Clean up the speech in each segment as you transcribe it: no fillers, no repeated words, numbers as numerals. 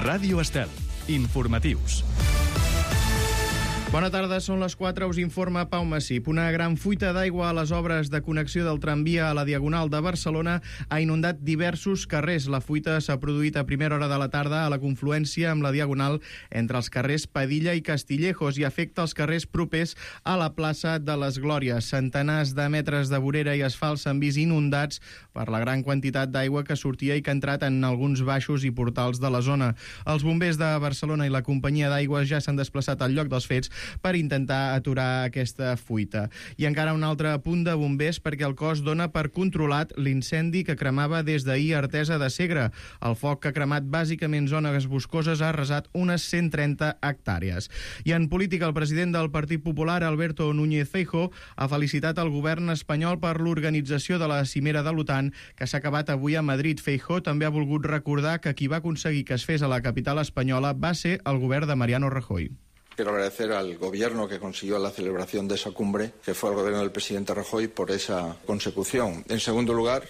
Ràdio Estel. Informatius. Bona tarda, són les 4, us informa Pau Massip. Una gran fuita d'aigua a les obres de connexió del tramvia a la Diagonal de Barcelona ha inundat diversos carrers. La fuita s'ha produït a primera hora de la tarda a la confluència amb la Diagonal entre els carrers Padilla i Castillejos i afecta els carrers propers a la plaça de les Glòries. Centenars de metres de vorera i asfalt s'han vist inundats per la gran quantitat d'aigua que sortia i que ha entrat en alguns baixos i portals de la zona. Els bombers de Barcelona i la companyia d'aigües ja s'han desplaçat al lloc dels fets per intentar aturar aquesta fuita. I encara un altre punt de bombers perquè el cos dona per controlat l'incendi que cremava des d'ahir a Artesa de Segre. El foc que ha cremat bàsicament zones boscoses ha arrasat unes 130 hectàrees. I en política, el president del Partit Popular, Alberto Núñez Feijóo, ha felicitat el govern espanyol per l'organització de la cimera de l'OTAN que s'ha acabat avui a Madrid. Feijóo també ha volgut recordar que qui va aconseguir que es fes a la capital espanyola va ser el govern de Mariano Rajoy. Quiero agradecer al gobierno que consiguió la celebración de esa cumbre, que fue el gobierno del presidente Rajoy, por esa consecución. En segundo lugar,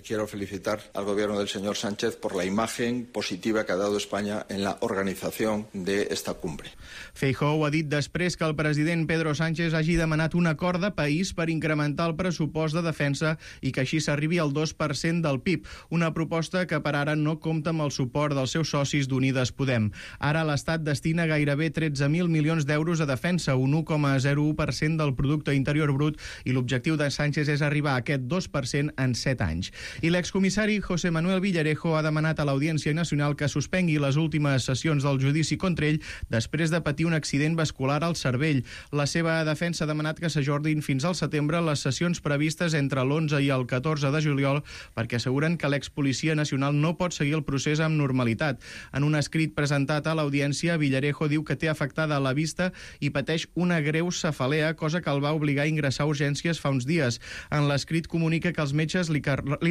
quiero felicitar al gobierno del señor Sánchez por la imagen positiva que ha dado España en la organización de esta cumbre. Feijóo ha dit després que el president Pedro Sánchez hagi demanat un acord de país per incrementar el pressupost de defensa i que així s'arribi al 2% del PIB, una proposta que per ara no compta amb el suport dels seus socis d'Unides Podem. Ara l'Estat destina gairebé 13.000 milions d'euros a defensa, un 1,01% del producte interior brut, i l'objectiu de Sánchez és arribar a aquest 2% en 7 anys. I l'excomissari José Manuel Villarejo ha demanat a l'Audiència Nacional que suspengui les últimes sessions del judici contra ell després de patir un accident vascular al cervell. La seva defensa ha demanat que s'ajornin fins al setembre les sessions previstes entre l'11 i el 14 de juliol perquè asseguren que l'expolicia nacional no pot seguir el procés amb normalitat. En un escrit presentat a l'Audiència, Villarejo diu que té afectada a la vista i pateix una greu cefalea, cosa que el va obligar a ingressar a urgències fa uns dies. En l'escrit comunica que els metges li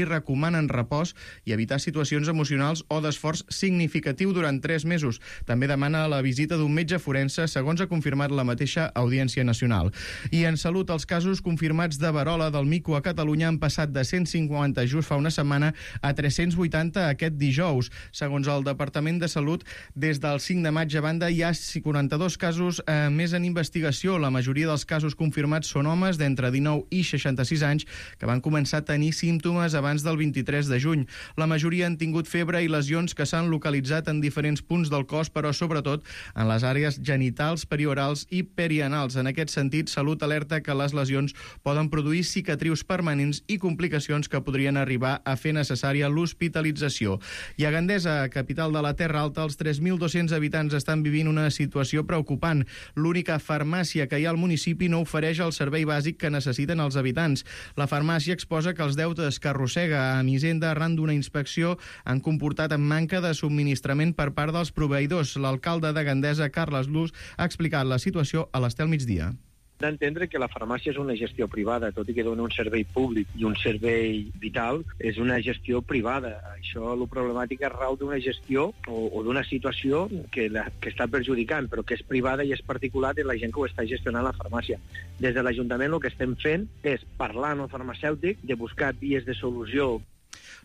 recomanen repòs i evitar situacions emocionals o d'esforç significatiu durant 3 mesos. També demana la visita d'un metge forense, segons ha confirmat la mateixa Audiència Nacional. I en salut, els casos confirmats de verola del mico a Catalunya han passat de 150 just fa una setmana a 380 aquest dijous. Segons el Departament de Salut, des del 5 de maig a banda hi ha 42 casos més en investigació. La majoria dels casos confirmats són homes d'entre 19 i 66 anys que van començar a tenir símptomes abans del 23 de juny. La majoria han tingut febre i lesions que s'han localitzat en diferents punts del cos, però sobretot en les àrees genitals, periorals i perianals. En aquest sentit, Salut alerta que les lesions poden produir cicatrius permanents i complicacions que podrien arribar a fer necessària l'hospitalització. I a Gandesa, capital de la Terra Alta, els 3.200 habitants estan vivint una situació preocupant. L'única farmàcia que hi ha al municipi no ofereix el servei bàsic que necessiten els habitants. La farmàcia exposa que els deutes que arrossega a Hisenda arran d'una inspecció han comportat manca de subministrament per part dels proveïdors. L'alcalde de Gandesa, Carles Luz, ha explicat la situació a l'Estel Migdia. D'entendre que la farmàcia és una gestió privada, tot i que dona un servei públic i un servei vital, és una gestió privada. Això, la problemàtica rau d'una gestió o d'una situació que està perjudicant, però que és privada i és particular de la gent que ho està gestionant la farmàcia. Des de l'Ajuntament el que estem fent és parlar amb el farmacèutic, de buscar vies de solució.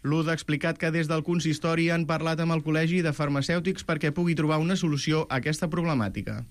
Luz ha explicat que des del consistori han parlat amb el Col·legi de Farmacèutics perquè pugui trobar una solució a aquesta problemàtica.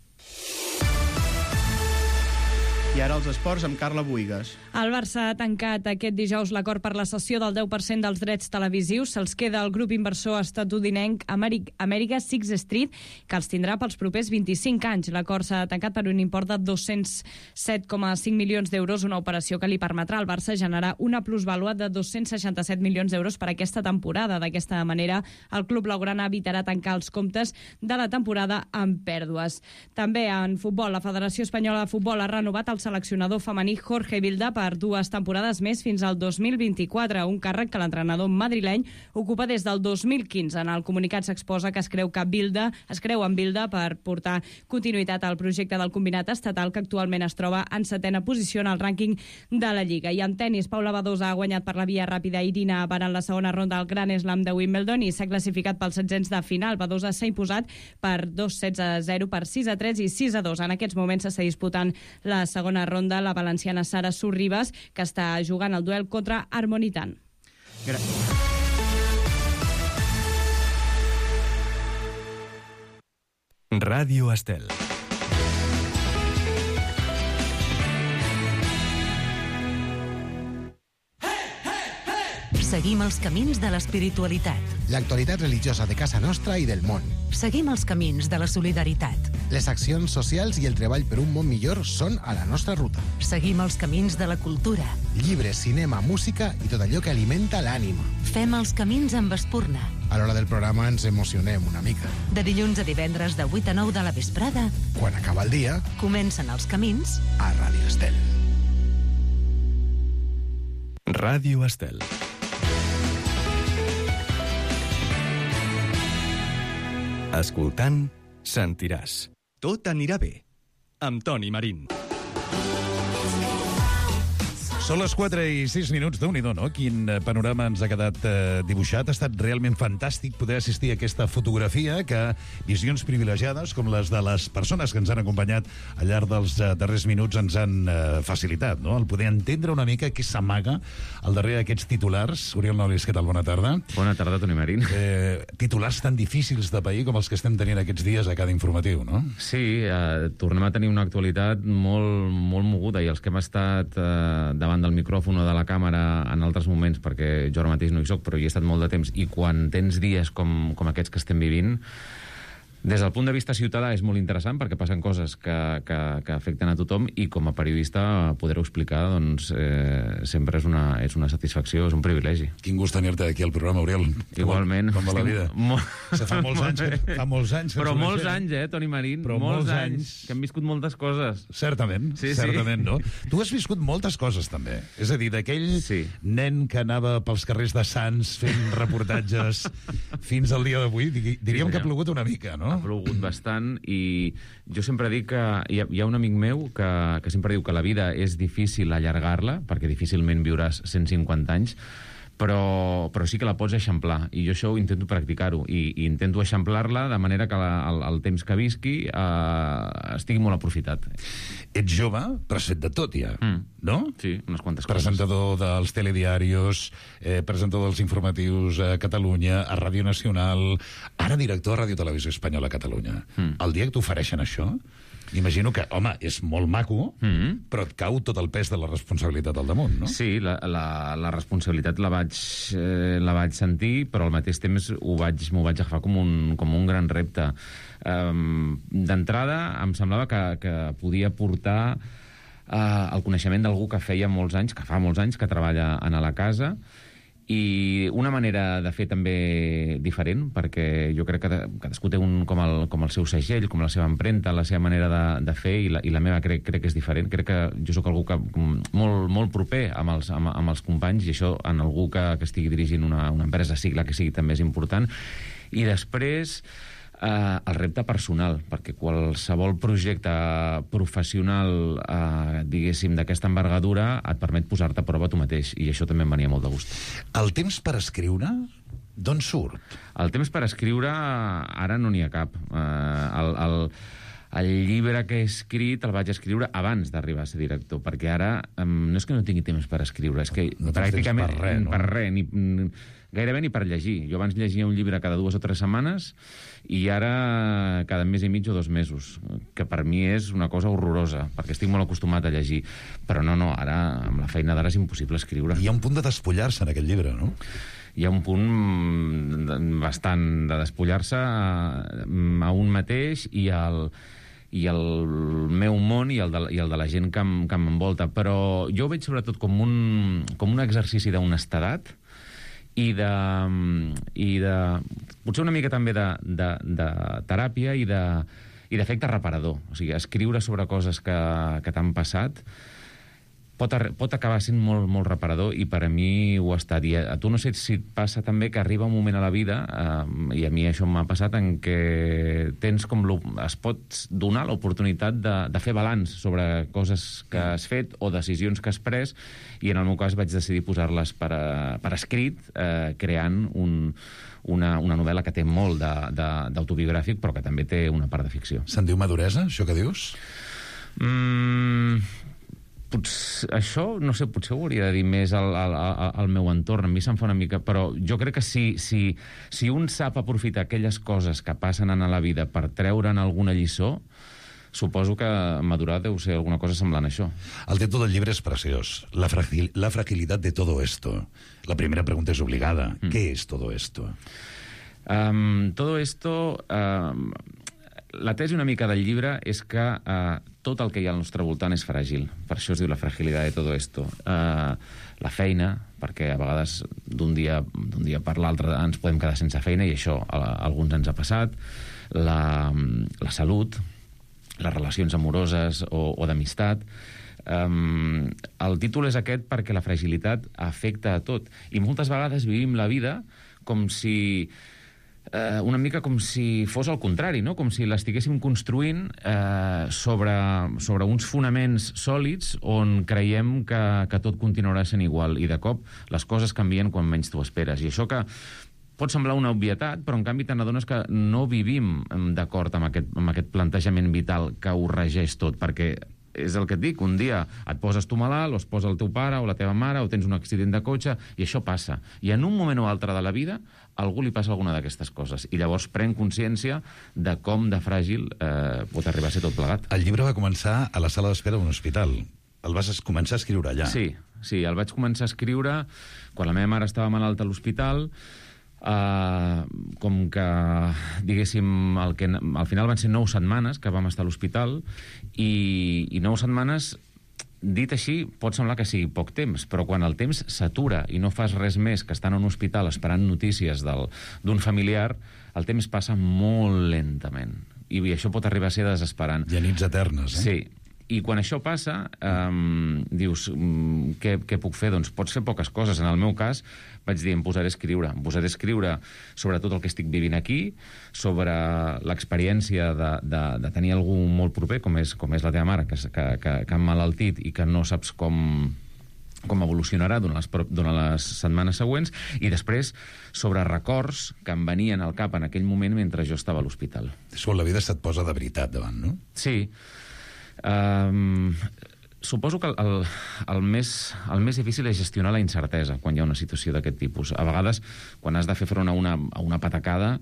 I ara els esports amb Carla Buïgas. El Barça ha tancat aquest dijous l'acord per la cessió del 10% dels drets televisius. Se'ls queda el grup inversor estatudinenc America Sixth Street, que els tindrà pels propers 25 anys. L'acord s'ha tancat per un import de 207,5 milions d'euros, una operació que li permetrà al Barça generar una plusvàlua de 267 milions d'euros per aquesta temporada. D'aquesta manera, el club blaugrana evitarà tancar els comptes de la temporada amb pèrdues. També en futbol, la Federació Espanyola de Futbol ha renovat el seleccionador femení Jorge Vilda per 2 temporades més fins al 2024, un càrrec que l'entrenador madrileny ocupa des del 2015. En el comunicat s'exposa que es creu en Vilda per portar continuïtat al projecte del combinat estatal que actualment es troba en 7ª posició en el rànquing de la Lliga. I en tennis, Paula Badosa ha guanyat per la via ràpida Irina Baran en la segona ronda del Grand Slam de Wimbledon i s'ha classificat pels 16 de final. Badosa s'ha imposat per 2-16-0, per 6-3 i 6-2. En aquests moments s'està disputant la segona ronda la valenciana Sara Sorribas, que està jugant el duel contra Harmonitan. Ràdio Estel. Seguim els camins de l'espiritualitat. L'actualitat religiosa de casa nostra i del món. Seguim els camins de la solidaritat. Les accions socials i el treball per un món millor són a la nostra ruta. Seguim els camins de la cultura. Llibres, cinema, música i tot allò que alimenta l'ànima. Fem els camins amb Espurna. A l'hora del programa ens emocionem una mica. De dilluns a divendres de 8 a 9 de la vesprada. Quan acaba el dia, comencen els camins a Ràdio Estel. Ràdio Estel. Escoltant, sentiràs. Tot anirà bé. Amb Toni Marín. Són les 4:06, Déu-n'hi-do, no? Quin panorama ens ha quedat dibuixat. Ha estat realment fantàstic poder assistir a aquesta fotografia que visions privilegiades com les de les persones que ens han acompanyat al llarg dels darrers minuts ens han facilitat, no? El poder entendre una mica què s'amaga al darrere d'aquests titulars. Oriol Nolis, què tal? Bona tarda. Bona tarda, Toni Marín. Titulars tan difícils de pair com els que estem tenint aquests dies a cada informatiu, no? Sí, tornem a tenir una actualitat molt moguda i els que hem estat davant del micròfon o de la càmera en altres moments, perquè jo ara mateix no hi soc, però hi he estat molt de temps, i quan tens dies com aquests que estem vivint, des del punt de vista ciutadà és molt interessant perquè passen coses que afecten a tothom i com a periodista poder-ho explicar doncs, sempre és una satisfacció, és un privilegi. Quin gust tenir-te aquí al programa, Oriol. Igualment. Com va la vida? Fa molts anys. Però molts anys, Toni Marín? Però molts anys. Que hem viscut moltes coses. Certament, certament, no? Tu has viscut moltes coses, també. És a dir, d'aquell nen que anava pels carrers de Sants fent reportatges fins al dia d'avui, diríem que ha plogut una mica, no? Ha plogut bastant i jo sempre dic que hi ha un amic meu que sempre diu que la vida és difícil allargar-la, perquè difícilment viuràs 150 anys, però sí que la pots eixamplar, i jo això ho intento practicar-ho, i intento eixamplar-la de manera que el temps que visqui estigui molt aprofitat. Ets jove, però has fet de tot ja, no? Sí, unes quantes coses. Presentador dels telediarios, presentador dels informatius a Catalunya, a Ràdio Nacional, ara director a Ràdio Televisió Espanyola a Catalunya. El dia que t'ofereixen això, imagino que, home, és molt maco, però et cau tot el pes de la responsabilitat al damunt, no? Sí, la responsabilitat la vaig sentir, però al mateix temps m'ho vaig agafar com un gran repte. D'entrada, em semblava que podia portar el coneixement d'algú que fa molts anys que treballa a la casa, i una manera de fer també diferent, perquè jo crec que cadascú té com el seu segell, com la seva empremta, la seva manera de fer, i la meva crec que és diferent. Crec que jo sóc algú que molt proper amb els companys, i això en algú que estigui dirigint una empresa, sigui la que sigui, també és important. I després el repte personal, perquè qualsevol projecte professional, diguéssim, d'aquesta envergadura et permet posar-te a prova tu mateix, i això també em venia molt de gust. El temps per escriure, d'on surt? El temps per escriure, ara no n'hi ha cap. El llibre que he escrit el vaig escriure abans d'arribar a ser director, perquè ara no és que no tingui temps per escriure, és que no pràcticament per res, gairebé ni per llegir. Jo abans llegia un llibre cada 2 o 3 setmanes i ara cada mes i mig o 2 mesos, que per mi és una cosa horrorosa, perquè estic molt acostumat a llegir. Però no, ara, amb la feina d'ara és impossible escriure. Hi ha un punt de despullar-se en aquest llibre, no? Hi ha un punt bastant de despullar-se a un mateix i el meu món i el de la gent que m'envolta. Però jo ho veig sobretot com un exercici d'honestedat i de potser una mica també de teràpia i d'efecte reparador. O sigui, escriure sobre coses que t'han passat pot acabar sent molt reparador, i per a mi ho ha estat. I a tu no sé si et passa també que arriba un moment a la vida, i a mi això m'ha passat, en què tens es pots donar l'oportunitat de fer balanç sobre coses que has fet o decisions que has pres, i en el meu cas vaig decidir posar-les per escrit, creant una novel·la que té molt d'autobiogràfic, però que també té una part de ficció. Se'n diu maduresa, això que dius? Això, no sé, potser ho hauria de dir més al meu entorn. A mi se'm fa una mica... Però jo crec que si un sap aprofitar aquelles coses que passen en la vida per treure'n alguna lliçó, suposo que madurar deu ser alguna cosa semblant a això. El títol del llibre és preciós. La fragilidad de todo esto. La primera pregunta és obligada. ¿Qué es todo esto? Todo esto... La tesi una mica del llibre és que tot el que hi ha al nostre voltant és fràgil. Per això es diu la fragilidad de todo esto. La feina, perquè a vegades d'un dia per l'altre ens podem quedar sense feina, i això a alguns ens ha passat. La salut, les relacions amoroses o d'amistat. El títol és aquest perquè la fragilitat afecta a tot. I moltes vegades vivim la vida com si... una mica com si fos al contrari, no? Com si l'estiguéssim construint sobre uns fonaments sòlids on creiem que tot continuarà sent igual, i de cop les coses canvien quan menys t'ho esperes. I això que pot semblar una obvietat, però en canvi te n'adones que no vivim d'acord amb aquest plantejament vital que ho regeix tot, perquè és el que et dic, un dia et poses tu malalt, o es posa el teu pare o la teva mare, o tens un accident de cotxe, i això passa. I en un moment o altre de la vida a algú li passa alguna d'aquestes coses, i llavors pren consciència de com de fràgil pot arribar a ser tot plegat. El llibre va començar a la sala d'espera d'un hospital. El vas començar a escriure allà. Sí, el vaig començar a escriure quan la meva mare estava malalta a l'hospital. Com que, diguéssim, al final van ser 9 setmanes que vam estar a l'hospital, i 9 setmanes, dit així, pot semblar que sigui poc temps, però quan el temps s'atura i no fas res més que estar en un hospital esperant notícies d'un familiar, el temps passa molt lentament, i això pot arribar a ser desesperant. Hi ha nits eternes, Sí. I quan això passa, dius, què puc fer? Doncs pots fer poques coses. En el meu cas, vaig dir, em posaré a escriure sobre tot el que estic vivint aquí, sobre l'experiència de tenir algú molt proper, com és la teva mare, que ha emmalaltit i que no saps com evolucionarà durant les setmanes següents, i després sobre records que em venien al cap en aquell moment mentre jo estava a l'hospital. És quan la vida se't posa de veritat davant, no? Sí. Suposo que el més difícil és gestionar la incertesa quan hi ha una situació d'aquest tipus. A vegades, quan has de fer front a una patacada,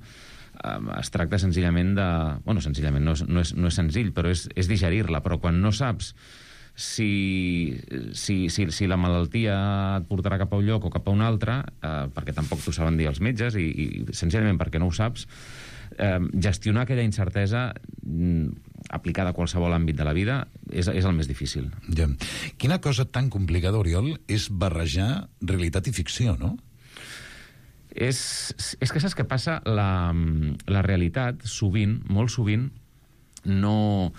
es tracta senzillament de... Bueno, senzillament, no és senzill, però és digerir-la. Però quan no saps si la malaltia et portarà cap a un lloc o cap a un altre, perquè tampoc t'ho saben dir els metges, i senzillament perquè no ho saps, gestionar aquella incertesa aplicada a qualsevol àmbit de la vida és el més difícil. Ja. Quina cosa tan complicada, Oriol, és barrejar realitat i ficció, no? És que saps què passa? La realitat, sovint, molt sovint, no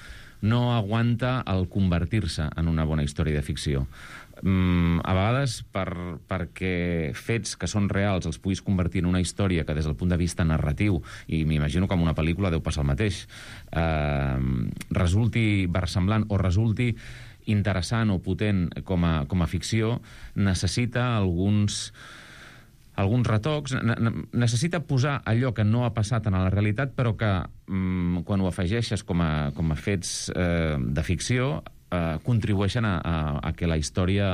aguanta el convertir-se en una bona història de ficció. A vegades, perquè fets que són reals els puguis convertir en una història que des del punt de vista narratiu, i m'imagino que en una pel·lícula deu passar el mateix, resulti versemblant o resulti interessant o potent com a ficció, necessita alguns retocs, necessita posar allò que no ha passat en la realitat, però que quan ho afegeixes com a fets de ficció, contribueixen a que la història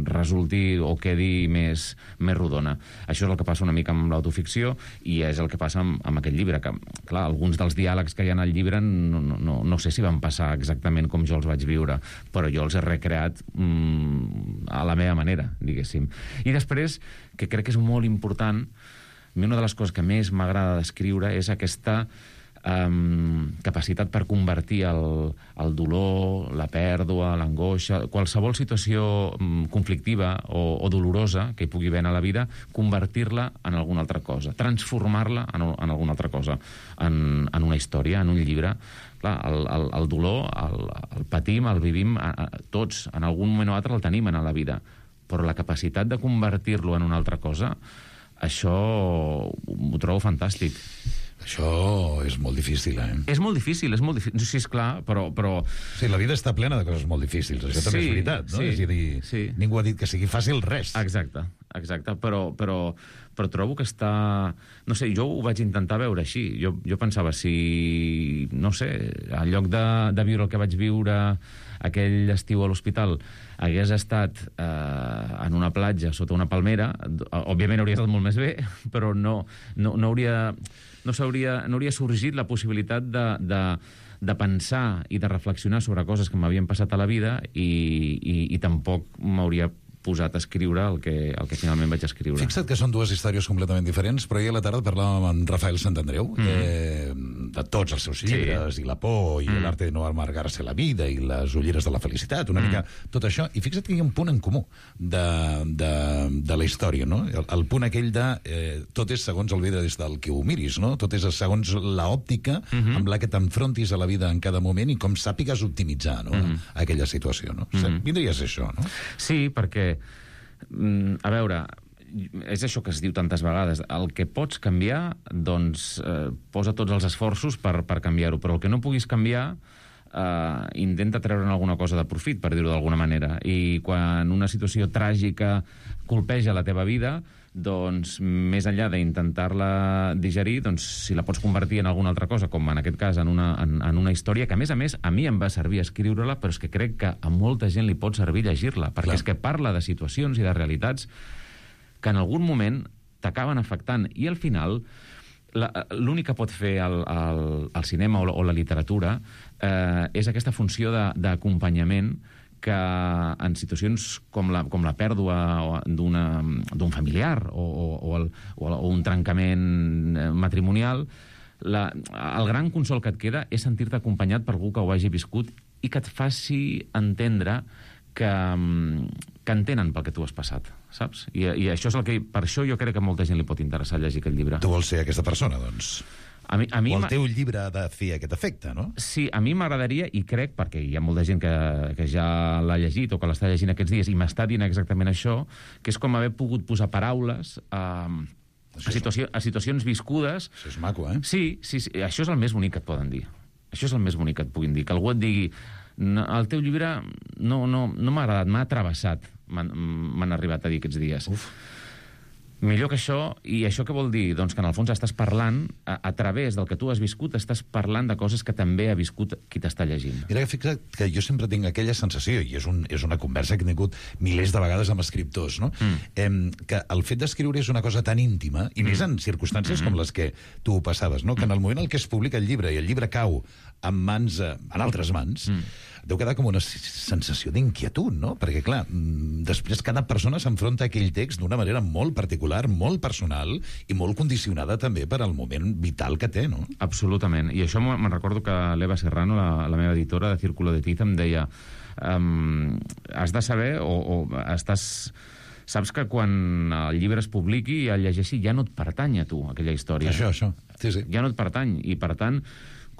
resulti o quedi més rodona. Això és el que passa una mica amb l'autoficció, i és el que passa amb aquest llibre, que, clar, alguns dels diàlegs que hi ha al llibre no sé si van passar exactament com jo els vaig viure, però jo els he recreat a la meva manera, diguéssim. I després, que crec que és molt important, a mi una de les coses que més m'agrada d'escriure és aquesta capacitat per convertir el dolor, la pèrdua, l'angoixa, qualsevol situació conflictiva o dolorosa que hi pugui haver a la vida, convertir-la en alguna altra cosa, transformar-la en alguna altra cosa, en una història, en un llibre. Clar, el dolor, el patim, el vivim tots, en algun moment o altre el tenim en la vida, però la capacitat de convertir-lo en una altra cosa, això ho trobo fantàstic. Això és molt difícil, És molt difícil. Sí, esclar, però... Sí, la vida està plena de coses molt difícils, això també és veritat, no? Sí, és a dir, ningú ha dit que sigui fàcil res. Exacte. exacte, però trobo que està... No sé, jo ho vaig intentar veure així. Jo pensava, si, no sé, en lloc de viure el que vaig viure aquell estiu a l'hospital, hagués estat en una platja sota una palmera, òbviament hauria estat molt més bé, però no hauria sorgit la possibilitat de pensar i de reflexionar sobre coses que m'havien passat a la vida i tampoc m'hauria posat a escriure el que finalment vaig escriure. Fixa't que són dues històries completament diferents, però ahir a la tarda parlàvem amb Rafael Santandreu de tots els seus llibres, i La por, i l'arte de no amargar-se la vida, i les ulleres de la felicitat, una mica tot això, i fixa't que hi ha un punt en comú de la història, no? El punt aquell de tot és segons el vida des del que ho miris, no? Tot és segons l'òptica amb la que t'enfrontis a la vida en cada moment i com sàpigues optimitzar, no? Aquella situació, no? Vindria a ser això, no? Sí, perquè a veure, és això que es diu tantes vegades, el que pots canviar, doncs posa tots els esforços per canviar-ho, però el que no puguis canviar intenta treure'n alguna cosa de profit, per dir-ho d'alguna manera, i quan una situació tràgica colpeja la teva vida, doncs més enllà d'intentar-la digerir, doncs si la pots convertir en alguna altra cosa, com en aquest cas en una història, que a més a mi em va servir escriure-la, però és que crec que a molta gent li pot servir llegir-la, perquè és que parla de situacions i de realitats que en algun moment t'acaben afectant, i al final l'únic que pot fer el cinema o la literatura és aquesta funció d'acompanyament que en situacions com la pèrdua d'un familiar o un trencament matrimonial, el gran consol que et queda és sentir-te acompanyat per algú que ho hagi viscut i que et faci entendre que entenen pel que tu has passat, saps? I això és el que... Per això jo crec que a molta gent li pot interessar llegir aquest llibre. Tu vols ser aquesta persona, doncs? A mi o el teu llibre ha de fer aquest efecte, no? Sí, a mi m'agradaria, i crec, perquè hi ha molta gent que ja l'ha llegit o que l'està llegint aquests dies i m'està dient exactament això, que és com haver pogut posar paraules a situacions viscudes. Això és maco, eh? Sí, això és el més bonic que et poden dir. Això és el més bonic que et puguin dir. Que algú et digui, el teu llibre no m'ha agradat, m'ha travessat, m'han arribat a dir aquests dies. Millor que això, i això què vol dir? Doncs que en el fons estàs parlant, a través del que tu has viscut, estàs parlant de coses que també ha viscut qui t'està llegint. Mira, fixa't que jo sempre tinc aquella sensació, i és una conversa que he tingut milers de vegades amb escriptors, no? Que el fet d'escriure és una cosa tan íntima, i més en circumstàncies com les que tu passaves, no? Que en el moment en què es publica el llibre i el llibre cau en altres mans, deu quedar com una sensació d'inquietud, no? Perquè, clar, després cada persona s'enfronta a aquell text d'una manera molt particular, molt personal i molt condicionada també per al moment vital que té, no? Absolutament. I això me'n recordo que l'Eva Serrano, la meva editora de Círculo de Tiza, em deia has de saber saps que quan el llibre es publiqui i el llegeixi ja no et pertany a tu, aquella història. Això. Sí. Ja no et pertany. I, per tant,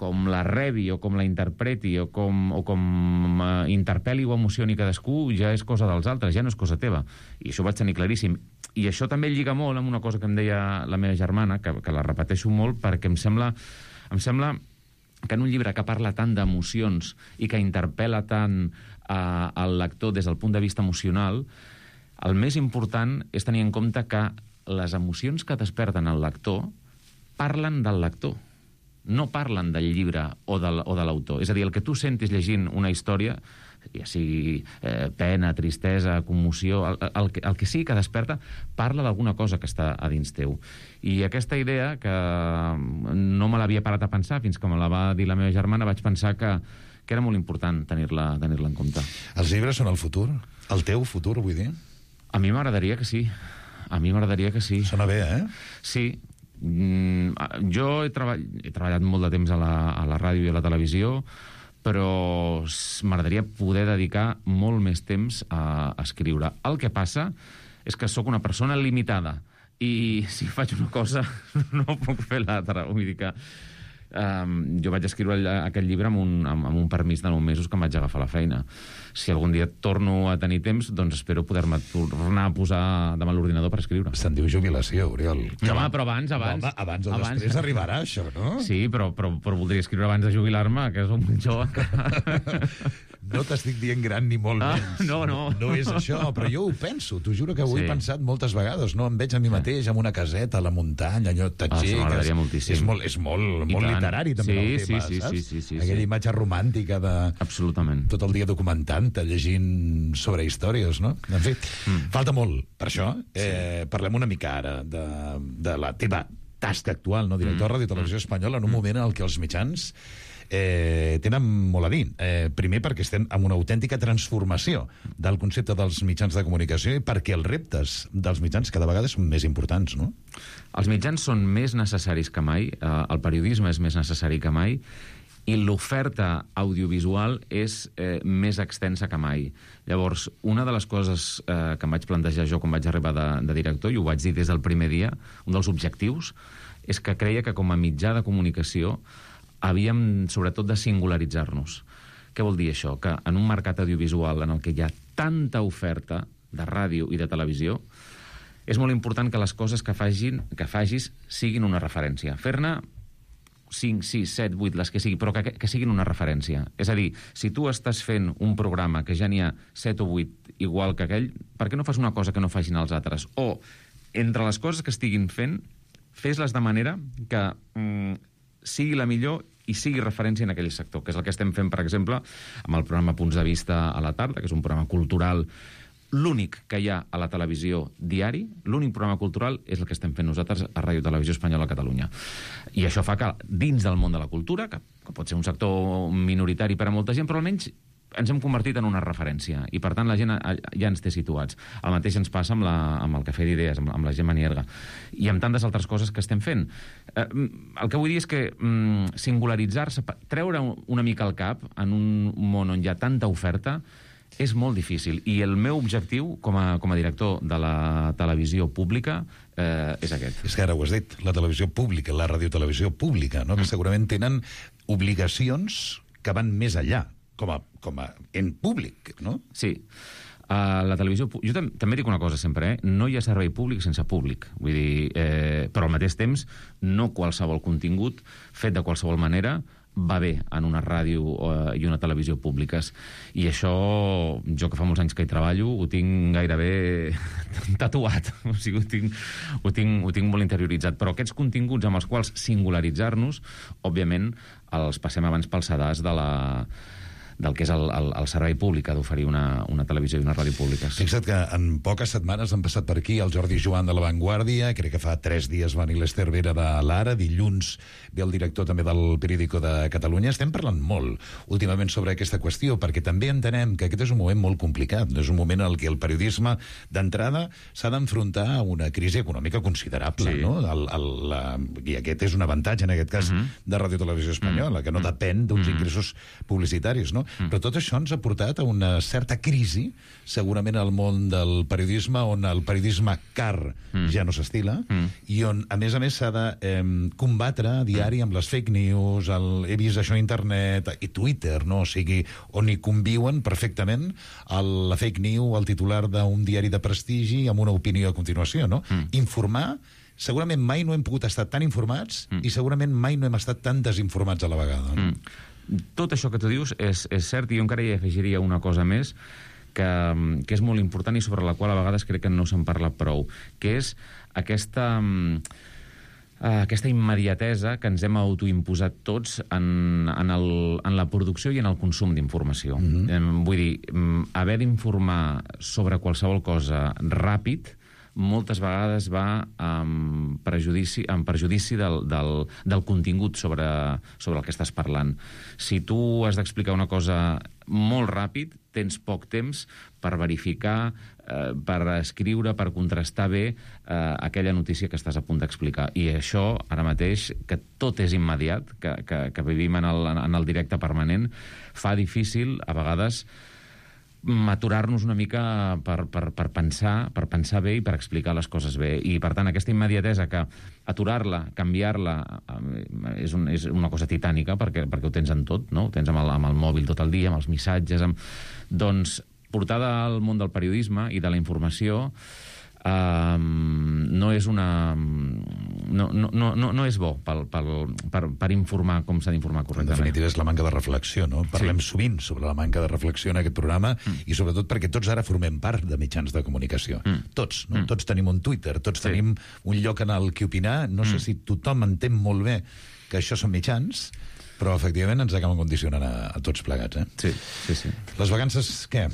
com la rebi o com la interpreti o com interpel·li o emocioni cadascú, ja és cosa dels altres, ja no és cosa teva. I això ho vaig tenir claríssim. I això també lliga molt amb una cosa que em deia la meva germana, que la repeteixo molt, perquè em sembla que en un llibre que parla tant d'emocions i que interpel·la tant al lector des del punt de vista emocional, el més important és tenir en compte que les emocions que desperten el lector parlen del lector, no parlen del llibre o de l'autor. És a dir, el que tu sentis llegint una història, ja sigui pena, tristesa, commoció, el que sigui que desperta, parla d'alguna cosa que està a dins teu. I aquesta idea, que no me l'havia parat a pensar fins que me la va dir la meva germana, vaig pensar que era molt important tenir-la en compte. Els llibres són el futur? El teu futur, vull dir? A mi m'agradaria que sí. Sona bé, eh? Sí. Jo he treballat molt de temps a la ràdio i a la televisió, però m'agradaria poder dedicar molt més temps a escriure. El que passa és que sóc una persona limitada i si faig una cosa no puc fer l'altra. Vull dir que jo vaig escriure aquest llibre amb un permís de 9 mesos que em vaig agafar a la feina. Si algun dia torno a tenir temps, doncs espero poder-me tornar a posar davant l'ordinador per escriure. Se'n diu jubilació, Oriol. No, però abans. Home, abans o després arribarà això, no? Sí, però voldria escriure abans de jubilar-me, que és un molt jove. No t'estic dient gran ni molt menys. No. No és això, però jo ho penso. T'ho juro que ho he pensat moltes vegades. No em veig a mi mateix amb una caseta a la muntanya, allò tatxer. M'agradaria moltíssim. És molt literari, també, el tema, saps? Sí. Aquella imatge romàntica de... Absolutament. Tot el dia documentant-te, llegint sobre històries, no? En fi, falta molt per això. Parlem una mica ara de la teva tasca actual, no? Director de Ràdio Televisió Espanyola, en un moment en què els mitjans tenen molt a dir. Primer perquè estem en una autèntica transformació del concepte dels mitjans de comunicació i perquè els reptes dels mitjans cada vegada són més importants, no? Els mitjans són més necessaris que mai, el periodisme és més necessari que mai, i l'oferta audiovisual és més extensa que mai. Llavors, una de les coses que em vaig plantejar jo quan vaig arribar de director, i ho vaig dir des del primer dia, un dels objectius, és que creia que com a mitjà de comunicació havíem, sobretot, de singularitzar-nos. Què vol dir això? Que en un mercat audiovisual en el que hi ha tanta oferta de ràdio i de televisió, és molt important que les coses que fagis siguin una referència. Fer-ne 5, 6, 7, 8, les que sigui, però que siguin una referència. És a dir, si tu estàs fent un programa que ja n'hi ha 7 o 8 igual que aquell, per què no fas una cosa que no facin els altres? O, entre les coses que estiguin fent, fes-les de manera que sigui la millor i sigui referència en aquell sector, que és el que estem fent, per exemple, amb el programa Punts de Vista a la tarda, que és un programa cultural l'únic que hi ha a la televisió diari, l'únic programa cultural és el que estem fent nosaltres a Ràdio Televisió Espanyola a Catalunya. I això fa que dins del món de la cultura, que pot ser un sector minoritari per a molta gent, però almenys ens hem convertit en una referència i, per tant, la gent ja ens té situats. El mateix ens passa amb el Cafè d'Idees, amb la Gemma Nierga, i amb tantes altres coses que estem fent. El que vull dir és que singularitzar-se, treure una mica el cap en un món on hi ha tanta oferta, és molt difícil. I el meu objectiu, com a director de la televisió pública, és aquest. És que ara ho has dit, la televisió pública, la radiotelevisió pública, no? Que segurament tenen obligacions que van més enllà, com a en públic, no? Sí. La televisió... Jo també dic una cosa sempre, no hi ha servei públic sense públic. Vull dir, però al mateix temps, no qualsevol contingut fet de qualsevol manera va bé en una ràdio i una televisió públiques. I això, jo que fa molts anys que hi treballo, ho tinc gairebé tatuat. O sigui, ho tinc molt interioritzat. Però aquests continguts amb els quals singularitzar-nos, òbviament, els passem abans pel sedàs del que és el servei públic que ha d'oferir una televisió i una ràdio públiques. Fixa't que en poques setmanes han passat per aquí el Jordi Joan de La Vanguardia, crec que fa 3 dies va venir l'Ester Vera de l'Ara, dilluns ve el director també del Periódico de Catalunya. Estem parlant molt últimament sobre aquesta qüestió, perquè també entenem que aquest és un moment molt complicat, és un moment en què el periodisme d'entrada s'ha d'enfrontar a una crisi econòmica considerable, sí. No? I aquest és un avantatge, en aquest cas, de Ràdio Televisió Espanyola, que no depèn d'uns ingressos publicitaris, no? Però tot això ens ha portat a una certa crisi, segurament al món del periodisme, on el periodisme car ja no s'estila, i on, a més, s'ha de combatre a diari amb les fake news, he vist això a internet, i Twitter, no? O sigui, on hi conviuen perfectament la fake news, el titular d'un diari de prestigi, amb una opinió a continuació, no? Informar, segurament mai no hem pogut estar tan informats i segurament mai no hem estat tan desinformats a la vegada, no? Tot això que tu dius és cert, i jo encara hi afegiria una cosa més que és molt important i sobre la qual a vegades crec que no se'n parla prou, que és aquesta immediatesa que ens hem autoimposat tots en la producció i en el consum d'informació. Vull dir, haver d'informar sobre qualsevol cosa ràpid moltes vegades va en perjudici del contingut sobre el que estàs parlant. Si tu has d'explicar una cosa molt ràpid, tens poc temps per verificar, per escriure, per contrastar bé aquella notícia que estàs a punt d'explicar. I això, ara mateix, que tot és immediat, que vivim en el directe permanent, fa difícil, a vegades, aturar-nos una mica per pensar bé i per explicar les coses bé. I, per tant, aquesta immediatesa que aturar-la, canviar-la, és una cosa titànica, perquè ho tens en tot, no? Ho tens amb el mòbil tot el dia, amb els missatges... Doncs, portada al món del periodisme i de la informació no és no és bo per informar com s'ha d'informar correctament. En definitiva, és la manca de reflexió, no? Parlem sovint sobre la manca de reflexió en aquest programa i sobretot perquè tots ara formem part de mitjans de comunicació. Tots, no? Tots tenim un Twitter, tots tenim un lloc en el que opinar. No sé si tothom entén molt bé que això són mitjans, però efectivament ens acaben condicionant a tots plegats, Sí. Les vacances, què?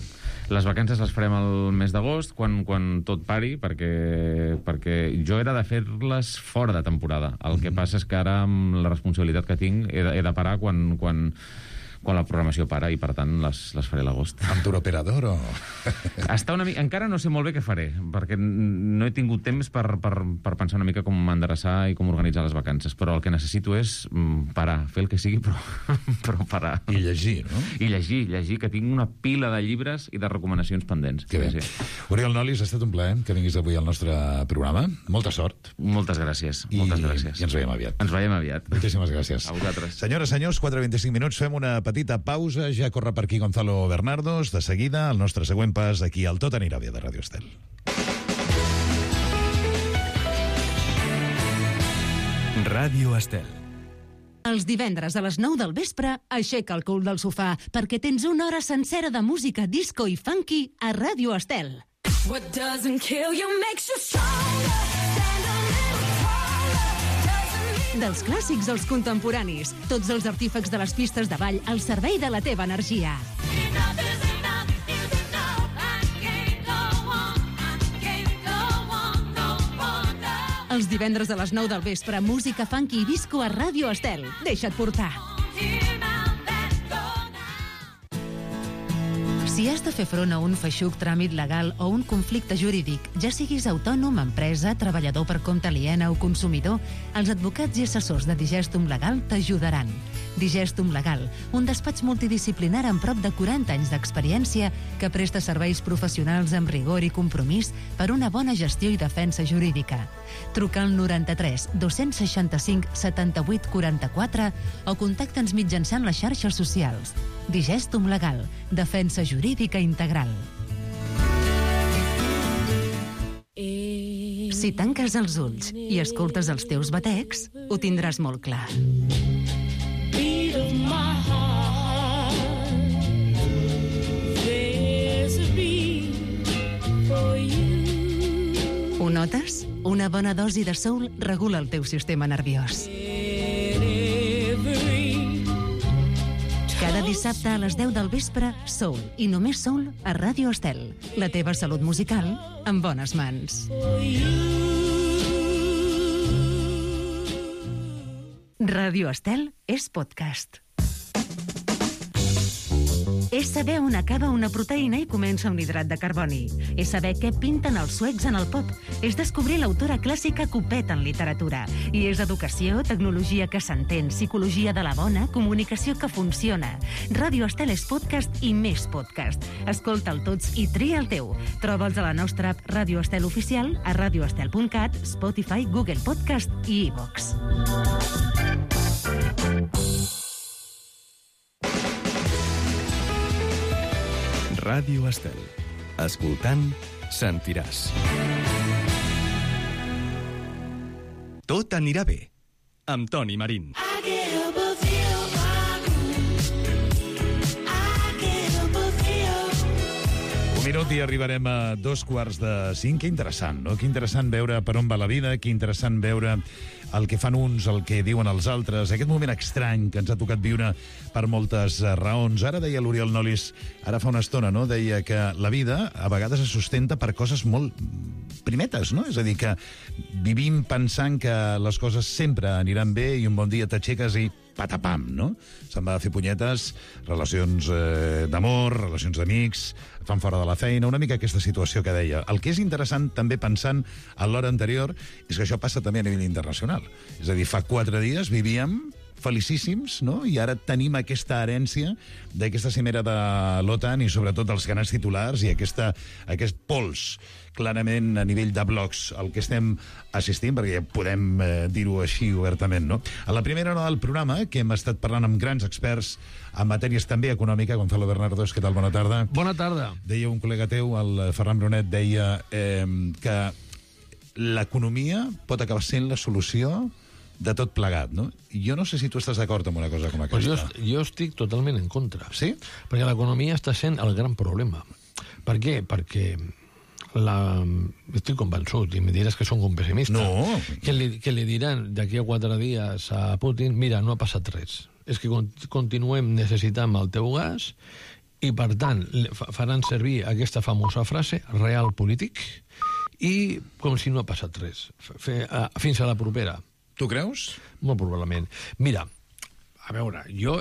Les vacances les farem el mes d'agost, quan tot pari, perquè jo era de fer-les fora de temporada. El que passa és que ara, amb la responsabilitat que tinc, he de parar quan la programació para, i per tant les faré a l'agost. Amb turoperador o...? Encara no sé molt bé què faré, perquè no he tingut temps per pensar una mica com m'endreçar i com organitzar les vacances, però el que necessito és parar, fer el que sigui, però parar. I llegir, no? I llegir, que tinc una pila de llibres i de recomanacions pendents. Que bé. Oriol Nolis, ha estat un plaer que vinguis avui al nostre programa. Molta sort. Moltes gràcies. I ens veiem aviat. Moltíssimes gràcies. A vosaltres. Senyores, senyors, 4:25 minuts, fem una petita pausa, ja corre per aquí Gonzalo Bernardos, de seguida el nostre següent pas aquí al Tot anirà bé de Ràdio Estel. Ràdio Estel. Els divendres a les 9 del vespre, aixeca el cul del sofà, perquè tens una hora sencera de música disco i funky a Ràdio Estel. What doesn't kill you makes you stronger. Stand a little taller. Dels clàssics als contemporanis, tots els artífecs de les pistes de ball al servei de la teva energia. Enough is enough is enough. I can't go on. I can't go on no more now. Els divendres a les 9 del vespre, música funky i disco a Ràdio Estel. Deixa't portar. Here now, let's go now. Si has de fer front a un feixuc tràmit legal o un conflicte jurídic, ja siguis autònom, empresa, treballador per compte aliena o consumidor, els advocats i assessors de Digestum Legal t'ajudaran. Digestum Legal, un despatx multidisciplinar amb prop de 40 anys d'experiència que presta serveis professionals amb rigor i compromís per una bona gestió i defensa jurídica. Truca al 93 265 78 44 o contacta'ns mitjançant les xarxes socials. Digestum Legal, defensa jurídica integral. Si tanques els ulls i escoltes els teus batecs, ho tindràs molt clar. Beat of my heart. There's a beat for you. Ho notes? Una bona dosi de soul regula el teu sistema nerviós. Cada dissabte a les 10 del vespre, Soul, i només Soul a Ràdio Estel. La teva salut musical en bones mans. Ràdio Estel és podcast. És saber on acaba una proteïna i comença un hidrat de carboni. És saber què pinten els suecs en el pop. És descobrir l'autora clàssica que ho peta en literatura. I és educació, tecnologia que s'entén, psicologia de la bona, comunicació que funciona. Ràdio Estel és podcast i més podcast. Escolta'l tots i tria el teu. Troba'ls a la nostra app Ràdio Estel Oficial, a radioestel.cat, Spotify, Google Podcast i iVox. Ràdio Estel. Escoltant, sentiràs. Tot anirà bé. Amb Toni Marín. I get above you. I get above you. Un minut i arribarem a 2:45. Que interessant, no? Que interessant veure per on va la vida, que interessant veure el que fan uns, el que diuen els altres, aquest moment estrany que ens ha tocat viure per moltes raons. Ara deia l'Oriol Nolis, ara fa una estona, no? Deia que la vida a vegades es sustenta per coses molt primetes, no? És a dir, que vivim pensant que les coses sempre aniran bé i un bon dia t'aixeques i patapam, no? Se'n va a fer punyetes, relacions d'amor, relacions d'amics, et fan fora de la feina, una mica aquesta situació que deia. El que és interessant, també pensant en l'hora anterior, és que això passa també a nivell internacional. És a dir, fa 4 dies vivíem felicíssims, no? I ara tenim aquesta herència d'aquesta cimera de l'OTAN i sobretot els grans titulars i aquest pols clarament a nivell de blocs al que estem assistint, perquè ja podem dir-ho així obertament, no? A la primera hora del programa, que hem estat parlant amb grans experts en matèries també econòmica, Gonzalo Bernardos, què tal? Bona tarda. Bona tarda. Deia un col·lega teu, el Ferran Brunet, deia que l'economia pot acabar sent la solució de tot plegat, no? I jo no sé si tu estàs d'acord amb una cosa com aquesta. Pues jo estic totalment en contra. Sí? Perquè l'economia està sent el gran problema. Per què? Perquè estic convençut, i me diràs que som un pessimista, No. que li diran d'aquí a 4 dies a Putin, mira, no ha passat res. És que continuem necessitant el teu gas i, per tant, faran servir aquesta famosa frase, real polític, i com si no ha passat res. Fins a la propera. Tu creus? Molt probablement. Mira, a veure, jo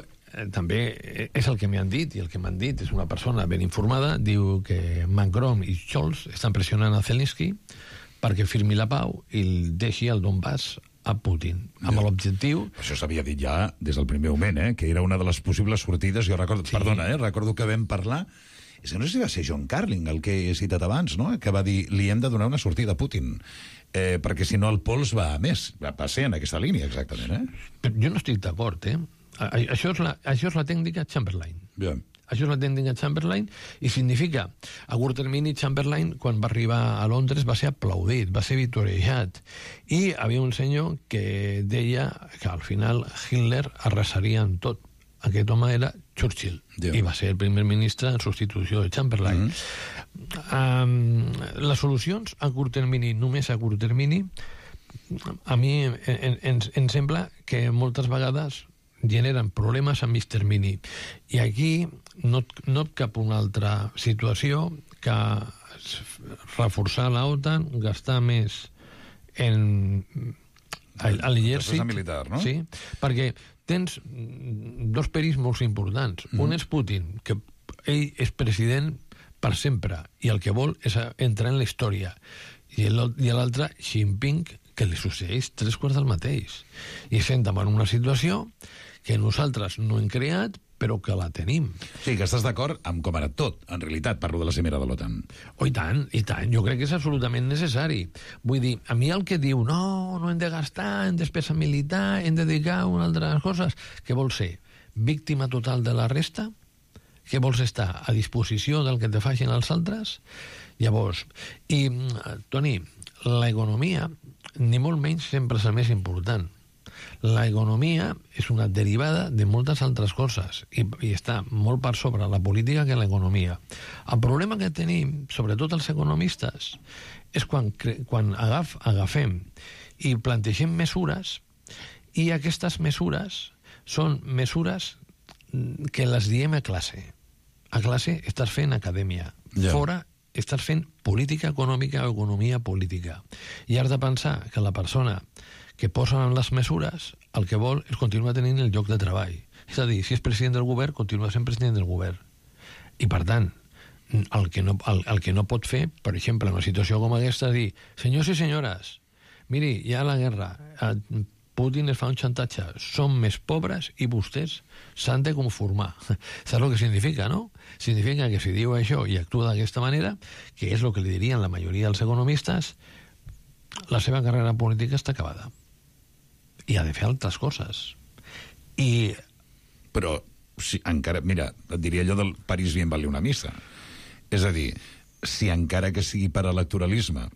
també és el que m'han dit, i el que m'han dit és una persona ben informada, diu que Macron i Scholz estan pressionant a Zelensky perquè firmi la pau i el deixi el Donbass a Putin, amb l'objectiu... Això s'havia dit ja des del primer moment, que era una de les possibles sortides. Jo recordo, sí. Perdona, recordo que vam parlar... És que no sé si va ser John Carling, el que he citat abans, no? Que va dir, li hem de donar una sortida a Putin, perquè si no el pols va a més. Va ser en aquesta línia, exactament, Però jo no estic d'acord, Això és la tècnica Chamberlain. Bien. Això és la tècnica Chamberlain i significa, a curt termini, Chamberlain, quan va arribar a Londres, va ser aplaudit, va ser victoriejat. I havia un senyor que deia que al final Hitler arrasaria en tot. Aquest home era Churchill, i va ser el primer ministre en substitució de Chamberlain. Les solucions a curt termini, només a curt termini, a mi em sembla que moltes vegades generen problemes a mig termini. I aquí no et cap una altra situació que reforçar la OTAN, gastar més en l'exèrcit. Militar, no? Sí, perquè tens dos perills molt importants. Un és Putin, que ell és president per sempre, i el que vol és entrar en la història. I l'altre, Xi Jinping, que li succeeix 3/4 del mateix. I estem davant una situació que nosaltres no hem creat, però que la tenim. Sí, que estàs d'acord amb com era tot, en realitat, parlo de la cimera de l'OTAN. I tant, i tant. Jo crec que és absolutament necessari. Vull dir, a mi el que diu, no hem de gastar en despesa militar, hem de dedicar a unes altres coses, què vol ser? Víctima total de la resta? Què vols estar a disposició del que te facin els altres? Llavors, i, Toni, l'economia, ni molt menys, sempre és el més important. L'economia és una derivada de moltes altres coses i està molt per sobre la política que l'economia. El problema que tenim, sobretot els economistes, és quan agafem i plantegem mesures, i aquestes mesures són mesures que les diem a classe. A classe estàs fent acadèmia. Fora estàs fent política econòmica o economia política. I has de pensar que la persona que posen en les mesures el que vol és continuar tenint el lloc de treball. És a dir, si és president del govern, continua sent president del govern. I, per tant, el que no pot fer, per exemple, en una situació com aquesta, és dir, senyors i senyores, miri, hi ha la guerra, Putin es fa un xantatge, som més pobres i vostès s'han de conformar. Saps el que significa, no? Significa que si diu això i actua d'aquesta manera, que és el que li dirien la majoria dels economistes, la seva carrera política està acabada. I ha de fer altres coses. Però, si encara... Mira, et diria allò del París bien vale una missa. És a dir, si encara que sigui per electoralisme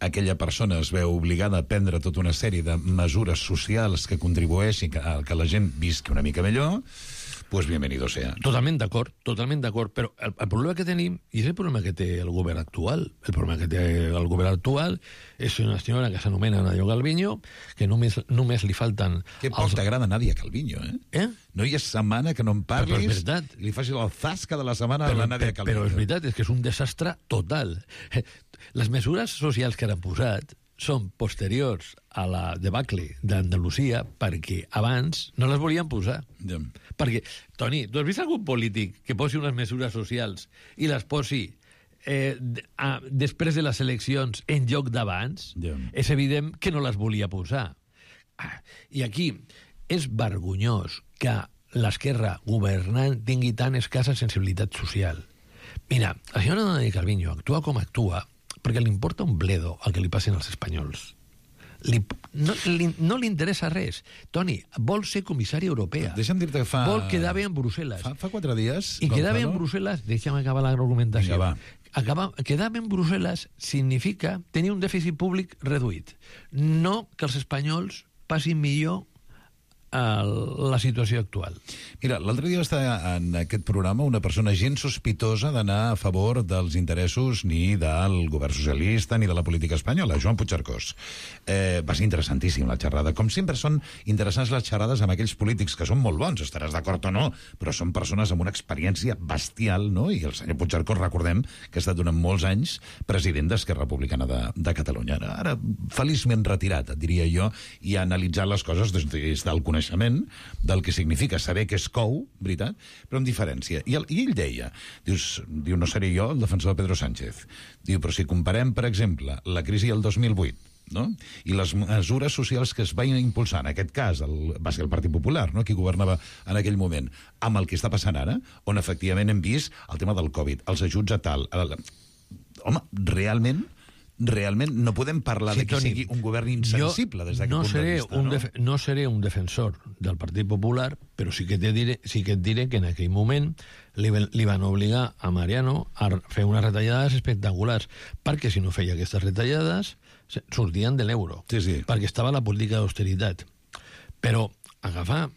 aquella persona es veu obligada a prendre tota una sèrie de mesures socials que contribueixin a que la gent visqui una mica millor, pues bienvenido sea. Totalment d'acord, però el problema que tenim, i és el problema que té el govern actual, és una senyora que s'anomena Nadia Calviño, que només li falten... Que poc t'agrada Nadia Calviño, No hi ha setmana que no em parlis, però és veritat. Li facis el zasca de la setmana a la Nadia Calviño. Però és veritat, és que és un desastre total. Les mesures socials que han posat són posteriors a la debacle d'Andalusia perquè abans no les volien posar. Perquè, Toni, tu has vist algun polític que posi unes mesures socials i les posi després de les eleccions en lloc d'abans? És evident que no les volia posar. I aquí és vergonyós que l'esquerra governant tingui tan escassa sensibilitat social. Mira, la senyora Nadia Calviño actua com actua perquè li importa un bledo el que li passin als espanyols. No li interessa res. Toni, vol ser comissària europea. Deixa'm dir-te que fa... Vol quedar bé en Brussel·les. Fa 4 dies... I quedar bé en Brussel·les, deixa'm acabar l'argumentació. quedar en Brussel·les significa tenir un dèficit públic reduït. No que els espanyols passin millor la situació actual. Mira, l'altre dia va estar en aquest programa una persona gens sospitosa d'anar a favor dels interessos ni del govern socialista ni de la política espanyola, Joan Puigcercós. Va ser interessantíssim la xerrada. Com sempre són interessants les xerrades amb aquells polítics que són molt bons, estaràs d'acord o no, però són persones amb una experiència bestial, no? I el senyor Puigcercós, recordem que ha estat durant molts anys president d'Esquerra Republicana de Catalunya. Ara, feliçment retirat, diria jo, i ha analitzat les coses des del coneixement del que significa saber què es cou, veritat, però amb diferència. I ell deia, diu, no seré jo el defensor de Pedro Sánchez, diu, però si comparem, per exemple, la crisi del 2008, no? I les mesures socials que es van impulsar, en aquest cas va ser el Partit Popular, no? Qui governava en aquell moment, amb el que està passant ara, on efectivament hem vist el tema del Covid, els ajuts a tal... Home, realment no podem parlar de que sigui un govern insensible des d'aquest punt de vista, no? No seré un defensor del Partit Popular, però sí que et diré que en aquell moment li van obligar a Mariano a fer unes retallades espectaculars, perquè si no feia aquestes retallades sortien de l'euro, perquè estava la política d'austeritat. Però agafar...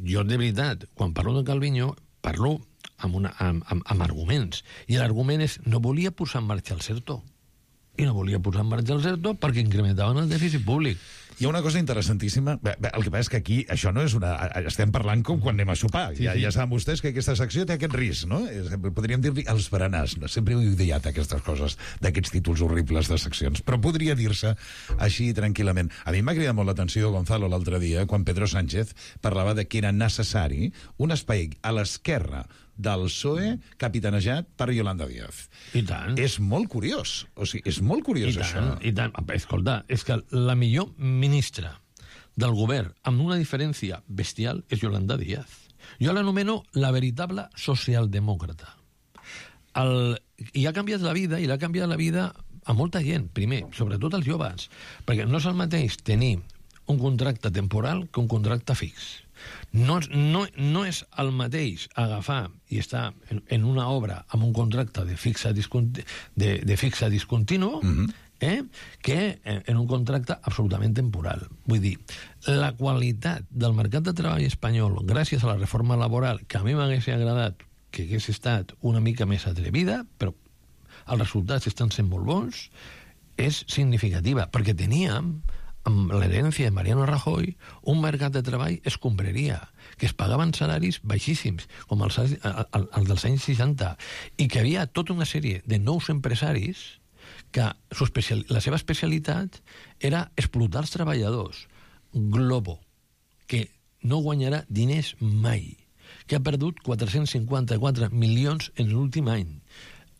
Jo, de veritat, quan parlo de Calviño, parlo amb arguments. I l'argument és, no volia posar en marxa el CERTO. I no volia posar en marxa el CERTO perquè incrementaven el dèficit públic. Hi ha una cosa interessantíssima. El que passa és que aquí això no és una... Estem parlant com quan anem a sopar. Sí. Ja saben vostès que aquesta secció té aquest risc, no? Podríem dir-li els berenars. Sempre he odiat aquestes coses, d'aquests títols horribles de seccions. Però podria dir-se així tranquil·lament. A mi m'ha cridat molt l'atenció, Gonzalo, l'altre dia, quan Pedro Sánchez parlava de que era necessari un espai a l'esquerra del PSOE capitanejat per Yolanda Díaz. I tant. És molt curiós. O sigui, és molt curiós, això. I tant. Escolta, és que la millor ministra del govern amb una diferència bestial és Yolanda Díaz. Jo l'anomeno la veritable socialdemòcrata. I ha canviat la vida, i l'ha canviat la vida a molta gent, primer, sobretot als joves, perquè no és el mateix tenir un contracte temporal que un contracte fix. No és el mateix agafar i estar en una obra amb un contracte de fixa discontinu que en un contracte absolutament temporal. Vull dir, la qualitat del mercat de treball espanyol, gràcies a la reforma laboral, que a mi m'hagués agradat que hagués estat una mica més atrevida, però els resultats estan sent molt bons, és significativa, perquè teníem amb l'herència de Mariano Rajoy, un mercat de treball escombraria, que es pagaven salaris baixíssims, com els dels anys 60, i que havia tota una sèrie de nous empresaris que la seva especialitat era explotar els treballadors. Globo, que no guanyarà diners mai, que ha perdut 454 milions en l'últim any.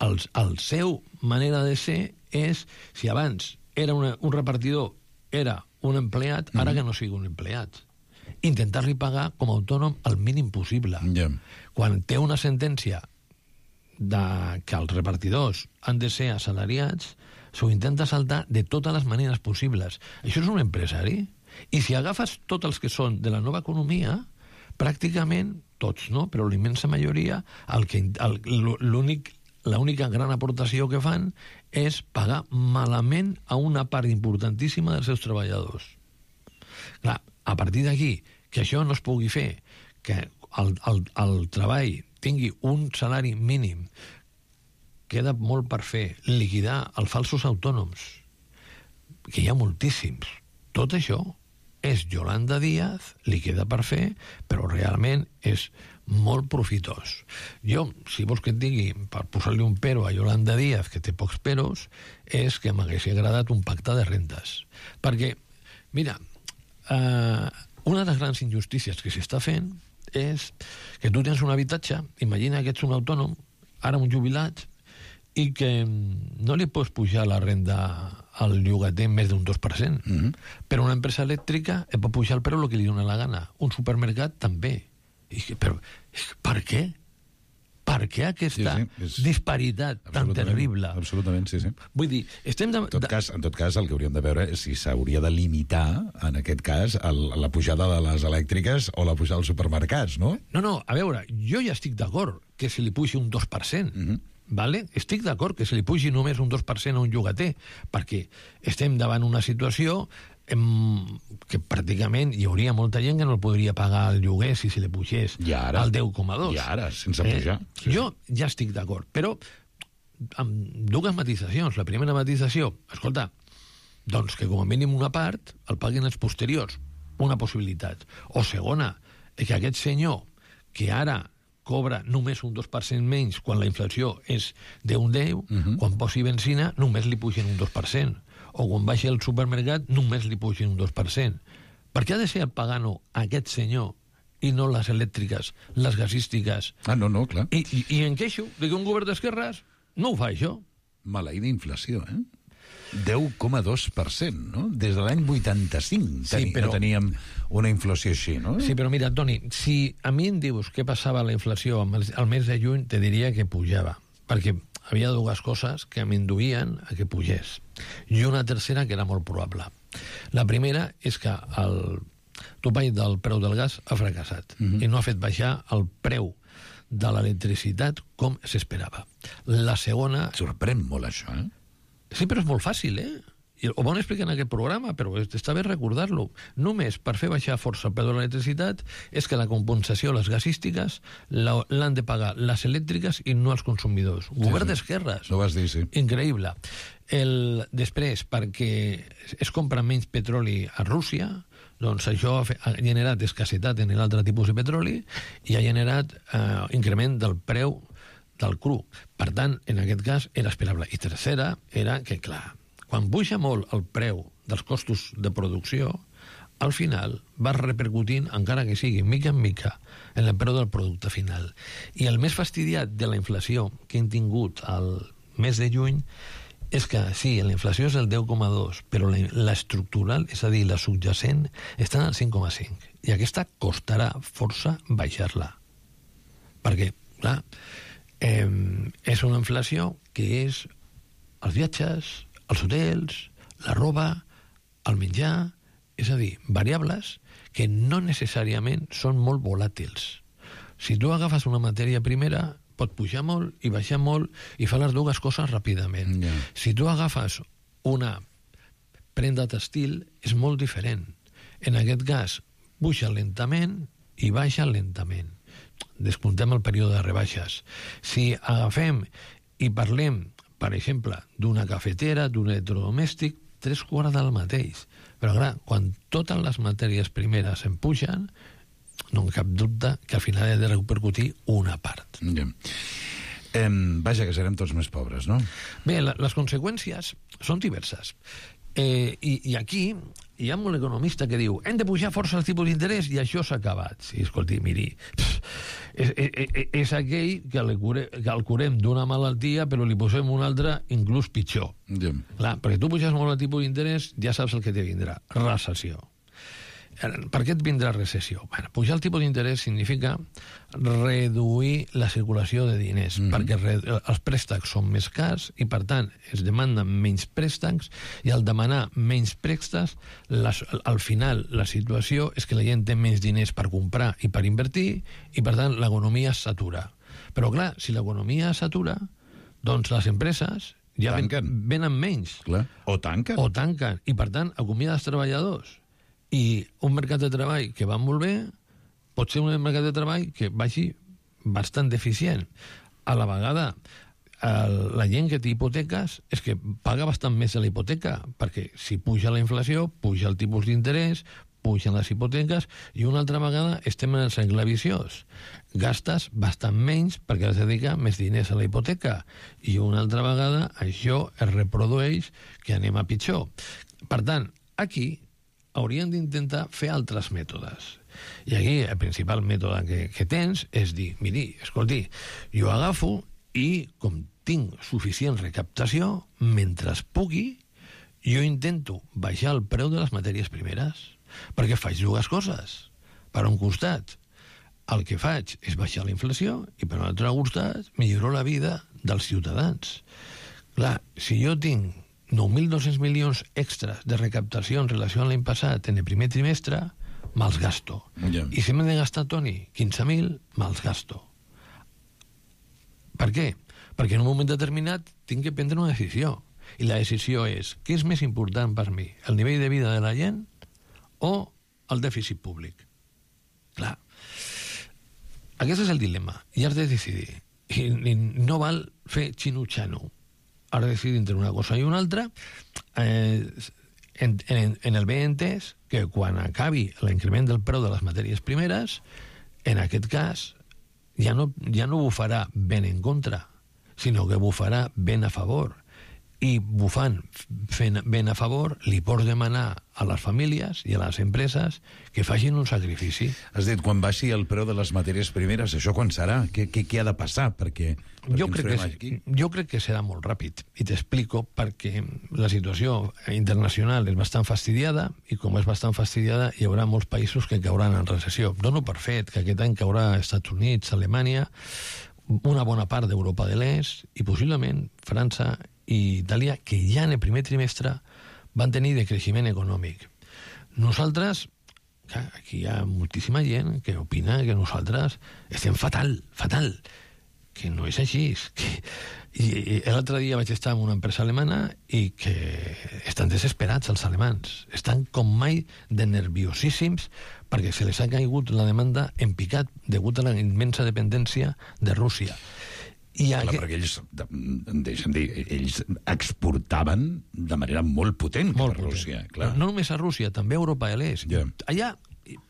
El seu manera de ser és, si abans era un repartidor, era un empleat, ara que no sigui un empleat. Intentar-li pagar com a autònom el mínim possible. Quan té una sentència que els repartidors han de ser assalariats, s'ho intenta saltar de totes les maneres possibles. Això és un empresari? I si agafes tots els que són de la nova economia, pràcticament tots, no? Però la immensa majoria, l'única gran aportació que fan és pagar malament a una part importantíssima dels seus treballadors. Clar, a partir d'aquí, que això no es pugui fer, que el treball tingui un salari mínim, queda molt per fer. Liquidar els falsos autònoms, que hi ha moltíssims. Tot això és Yolanda Díaz, li queda per fer, però realment és molt profitós. Jo, si vols que et digui, per posar-li un pero a Yolanda Díaz, que té pocs peros, és que m'hagués agradat un pacte de rentes. Perquè, mira, una de les grans injustícies que s'està fent és que tu tens un habitatge, imagina que ets un autònom, ara un jubilat, i que no li pots pujar la renda al llogater més d'un 2%. Però una empresa elèctrica et pot pujar el preu el que li dona la gana. Un supermercat també. Però per què? Per què aquesta disparitat tan terrible? Absolutament, sí. Vull dir, estem... En tot cas, el que hauríem de veure és si s'hauria de limitar, en aquest cas, la pujada de les elèctriques o la pujada dels supermercats, no? No, a veure, jo ja estic d'acord que se li pugi un 2%, vale? Estic d'acord que se li pugi només un 2% a un llogater, perquè estem davant una situació que pràcticament hi hauria molta gent que no el podria pagar el lloguer si se li pugés al 10,2. I ara, sense pujar. Jo ja estic d'acord, però amb dues matisacions. La primera matisació, escolta, doncs que com a mínim una part el paguin els posteriors, una possibilitat. O segona, que aquest senyor que ara cobra només un 2% menys quan la inflació és d'un 10, quan posi benzina només li pugen un 2%, o quan baixi al supermercat només li pugen un 2%. Per què ha de ser el pagano aquest senyor i no les elèctriques, les gasístiques? No, clar. I em queixo de que un govern d'esquerres no ho fa, això. Maleïda inflació, 10,2%, no? Des de l'any 85 no teníem una inflació així, no? Sí, però mira, Toni, si a mi em dius què passava la inflació al mes de juny, te diria que pujava, perquè havia dues coses que m'induïen a que pugés, i una tercera que era molt probable. La primera és que el topall del preu del gas ha fracassat i no ha fet baixar el preu de l'electricitat com s'esperava. La segona... Sorprèn molt això, Sí, però és molt fàcil, Ho van explicar en aquest programa, però està bé recordar-lo. Només per fer baixar força el preu de l'electricitat és que la compensació a les gasístiques l'han de pagar les elèctriques i no els consumidors. Govern d'esquerres. Ho vas dir, sí. Increïble. Després, perquè es compra menys petroli a Rússia, doncs això ha generat escassetat en l'altre tipus de petroli i ha generat increment del preu del cru. Per tant, en aquest cas, era esperable. I tercera era que, clar, quan puja molt el preu dels costos de producció, al final va repercutint, encara que sigui mica en mica, en el preu del producte final. I el més fastidiat de la inflació que hem tingut al mes de juny és que, sí, la inflació és el 10,2, però l'estructural, és a dir, la subjacent, està al 5,5. I aquesta costarà força baixar-la. Perquè, clar, és una inflació que és els viatges, els hotels, la roba, el menjar, és a dir, variables que no necessàriament són molt volàtils. Si tu agafes una matèria primera, pot pujar molt i baixar molt i fa les dues coses ràpidament. Si tu agafes una prenda textil, és molt diferent. En aquest cas, puja lentament i baixa lentament. Descomptem el període de rebaixes. Si agafem i parlem, per exemple, d'una cafetera, d'un electrodomèstic, 3/4 del mateix. Però, clar, quan totes les matèries primeres en pugen, no hi cap dubte que al final ha de repercutir una part. Vaja, que serem tots més pobres, no? Bé, les conseqüències són diverses. I aquí hi ha un economista que diu hem de pujar força els tipus d'interès i això s'ha acabat. Sí, escolti, miri, és aquell que el curem d'una malaltia però li posem una altra inclús pitjor. Clar, perquè tu puges molt el tipus d'interès, ja saps el que te vindrà, recessió. Per què et vindrà recessió? Bueno, pujar el tipus d'interès significa reduir la circulació de diners, perquè els préstecs són més cars i, per tant, es demanden menys préstecs i al demanar menys préstecs, al final la situació és que la gent té menys diners per comprar i per invertir i, per tant, l'economia s'atura. Però, clar, si l'economia s'atura, doncs les empreses ja venen menys. O tanquen. O tanquen. I, per tant, acomiada els treballadors. I un mercat de treball que va molt bé pot ser un mercat de treball que vagi bastant deficient. A la vegada, la gent que té hipoteques és que paga bastant més a la hipoteca, perquè si puja la inflació, puja el tipus d'interès, pugen les hipoteques, i una altra vegada estem en el cercle viciós. Gastes bastant menys perquè has de dedicar més diners a la hipoteca, i una altra vegada això es reprodueix que anem a pitjor. Per tant, aquí haurien d'intentar fer altres mètodes. I aquí el principal mètode que tens és dir, miri, escolti, jo agafo i, com tinc suficient recaptació, mentre pugui, jo intento baixar el preu de les matèries primeres, perquè faig dues coses. Per un costat, el que faig és baixar la inflació i, per un altre costat, milloro la vida dels ciutadans. Clar, si jo tinc 9.200 milions extras de recaptació en relació a l'any passat en el primer trimestre, me'ls gasto. I si m'he de gastar, Toni, 15.000, me'ls gasto. Per què? Perquè en un moment determinat tinc que prendre una decisió. I la decisió és, què és més important per mi? El nivell de vida de la gent o el dèficit públic? Clar. Aquest és el dilema. I has de decidir. I no val fer xino-xano. Has de decidir entre una cosa i una altra. En el bé entès que quan acabi l'increment del preu de les matèries primeres, en aquest cas ja no bufarà ben en contra, sinó que bufarà ben a favor. I bufant fent ben a favor li pots demanar a les famílies i a les empreses que facin un sacrifici. Has dit, quan baixi el preu de les matèries primeres, això quan serà? Què ha de passar? Perquè jo crec que serà molt ràpid, i t'explico perquè la situació internacional és bastant fastidiada, i com és bastant fastidiada hi haurà molts països que cauran en recessió. Dono per fet que aquest any caurà Estats Units, Alemanya, una bona part d'Europa de l'Est i possiblement França i Itàlia, que ja en el primer trimestre van tenir decreixement econòmic. Nosaltres, aquí hi ha moltíssima gent que opina que nosaltres estem fatal, que no és així. I l'altre dia vaig estar en una empresa alemana i que estan desesperats els alemans. Estan com mai de nerviosíssims perquè se les ha caigut la demanda en picat degut a la immensa dependència de Rússia. Clar, perquè ells, deixa'm dir, ells exportaven de manera molt potent cap a Rússia. Clar. No només a Rússia, també a Europa de l'Est. Allà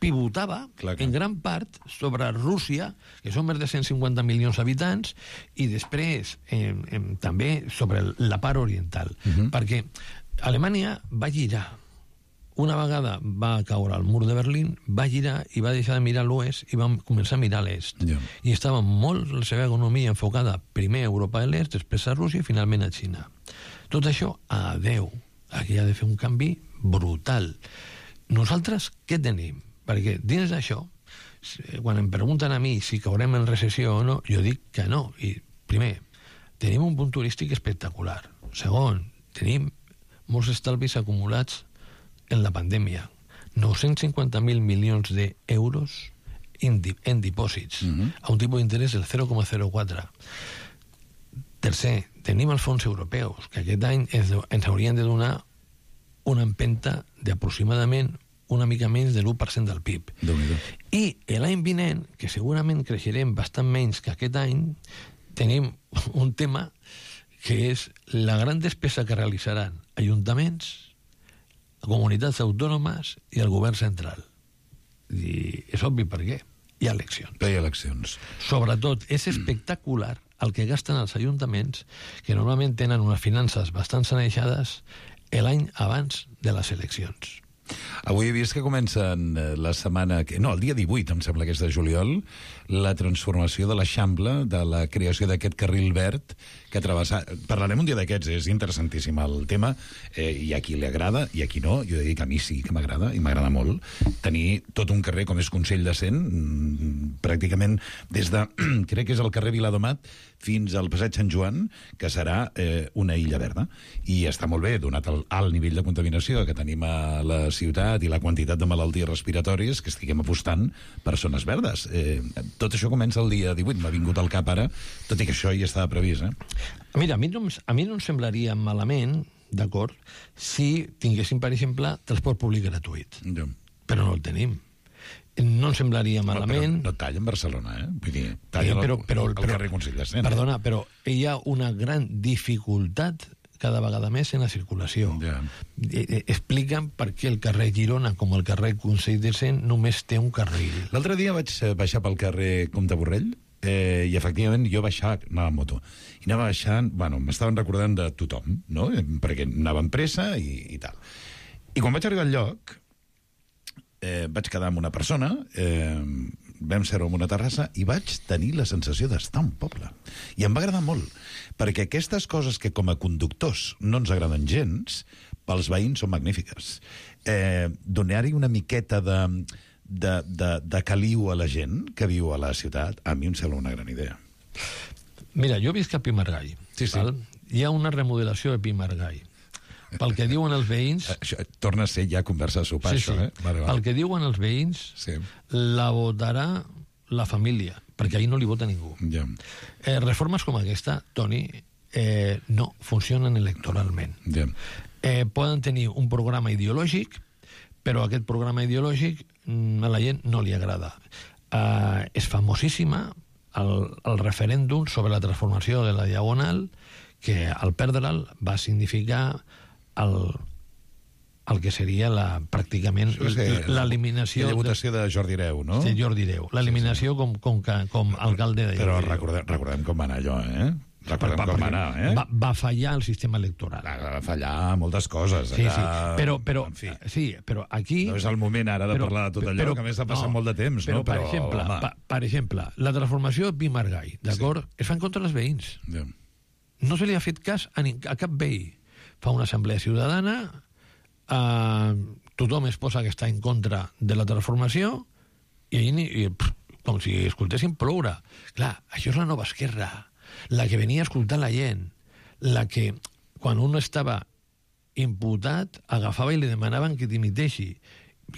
pivotava en gran part sobre Rússia, que són més de 150 milions d'habitants, i després també sobre la part oriental. Perquè Alemanya va girar. Una vegada va caure el mur de Berlín, va girar i va deixar de mirar l'oest i va començar a mirar l'est. I estava molt la seva economia enfocada primer a Europa de l'Est, després a Rússia i finalment a Xina. Tot això, adeu. Aquí ha de fer un canvi brutal. Nosaltres què tenim? Perquè dins d'això, quan em pregunten a mi si caurem en recessió o no, jo dic que no. I primer, tenim un punt turístic espectacular. Segon, tenim molts estalvis acumulats en la pandèmia, 950.000 milions d'euros en dipòsits, a un tipus d'interès del 0,04. Tercer, tenim els fons europeus, que aquest any ens haurien de donar una empenta d'aproximadament una mica menys de l'1% del PIB. I l'any vinent, que segurament creixerem bastant menys que aquest any, tenim un tema que és la gran despesa que realitzaran ajuntaments, comunitats autònomes i el govern central. I és obvi per què. Hi ha eleccions. Sobretot, és espectacular el que gasten els ajuntaments, que normalment tenen unes finances bastant sanejades l'any abans de les eleccions. Avui he vist que comencen la setmana... No, el dia 18, em sembla que és de juliol, la transformació de l'Eixample, de la creació d'aquest carril verd que travessa... Parlarem un dia d'aquests, és interessantíssim el tema. Hi ha qui li agrada, i a qui no. Jo he de dir que a mi sí que m'agrada, i m'agrada molt, tenir tot un carrer com és Consell de Cent, pràcticament des de... crec que és el carrer Viladomat fins al Passeig Sant Joan, que serà una illa verda. I està molt bé, donat el alt nivell de contaminació que tenim a la ciutat i la quantitat de malalties respiratòries, que estiguem apostant per zones verdes. Tot això comença el dia 18, m'ha vingut al cap ara, tot i que això ja estava previst. Mira, a mi no em semblaria malament, d'acord, si tinguéssim, per exemple, transport públic gratuït. Però no el tenim. No em semblaria malament... Però no talla en Barcelona, Vull dir, talla el carrer Consell de Cent. Perdona, però hi ha una gran dificultat cada vegada més en la circulació. Expliquen per què el carrer Girona, com el carrer Consell de Cent, només té un carril. L'altre dia vaig baixar pel carrer Comte Borrell i efectivament jo anava amb moto. I anava baixant, m'estaven recordant de tothom, no? Perquè anava amb pressa i tal. I quan vaig arribar al lloc, vaig quedar amb una persona, vam ser en una terrassa i vaig tenir la sensació d'estar a un poble. I em va agradar molt, perquè aquestes coses que com a conductors no ens agraden gens, pels veïns són magnífiques. Donar-hi una miqueta de caliu a la gent que viu a la ciutat, a mi em sembla una gran idea. Mira, jo visc a Pimargall. Sí. Hi ha una remodelació de Pimargall. Pel que diuen els veïns... Això torna a ser ja conversa de sopar, això, Vale. Pel que diuen els veïns, la votarà la família, perquè ahir no li vota ningú. Ja. Reformes com aquesta, Toni, no funcionen electoralment. Ja. Poden tenir un programa ideològic, però aquest programa ideològic a la gent no li agrada. És famosíssima el referèndum sobre la transformació de la Diagonal, que al perdre'l va significar el que seria pràcticament l'eliminació... Aquella votació de Jordi Hereu, no? Sí, Jordi Hereu. L'eliminació com alcalde de... Però recordem com va anar allò, eh? Recordem com va anar, eh? Va fallar el sistema electoral. Va fallar moltes coses. Sí, allà, però en fi. sí, però aquí... No és el moment ara de parlar de tot allò, que a més ha passat molt de temps, no? Per exemple, la transformació de Pi Margall, d'acord? Es fa en contra dels veïns. Ja. No se li ha fet cas a cap veí. Fa una assemblea ciutadana, tothom es posa que està en contra de la transformació i com si escoltessin ploure. Clar, això és la nova esquerra, la que venia a escoltar la gent, la que, quan un estava imputat, agafava i li demanaven que dimiteixi.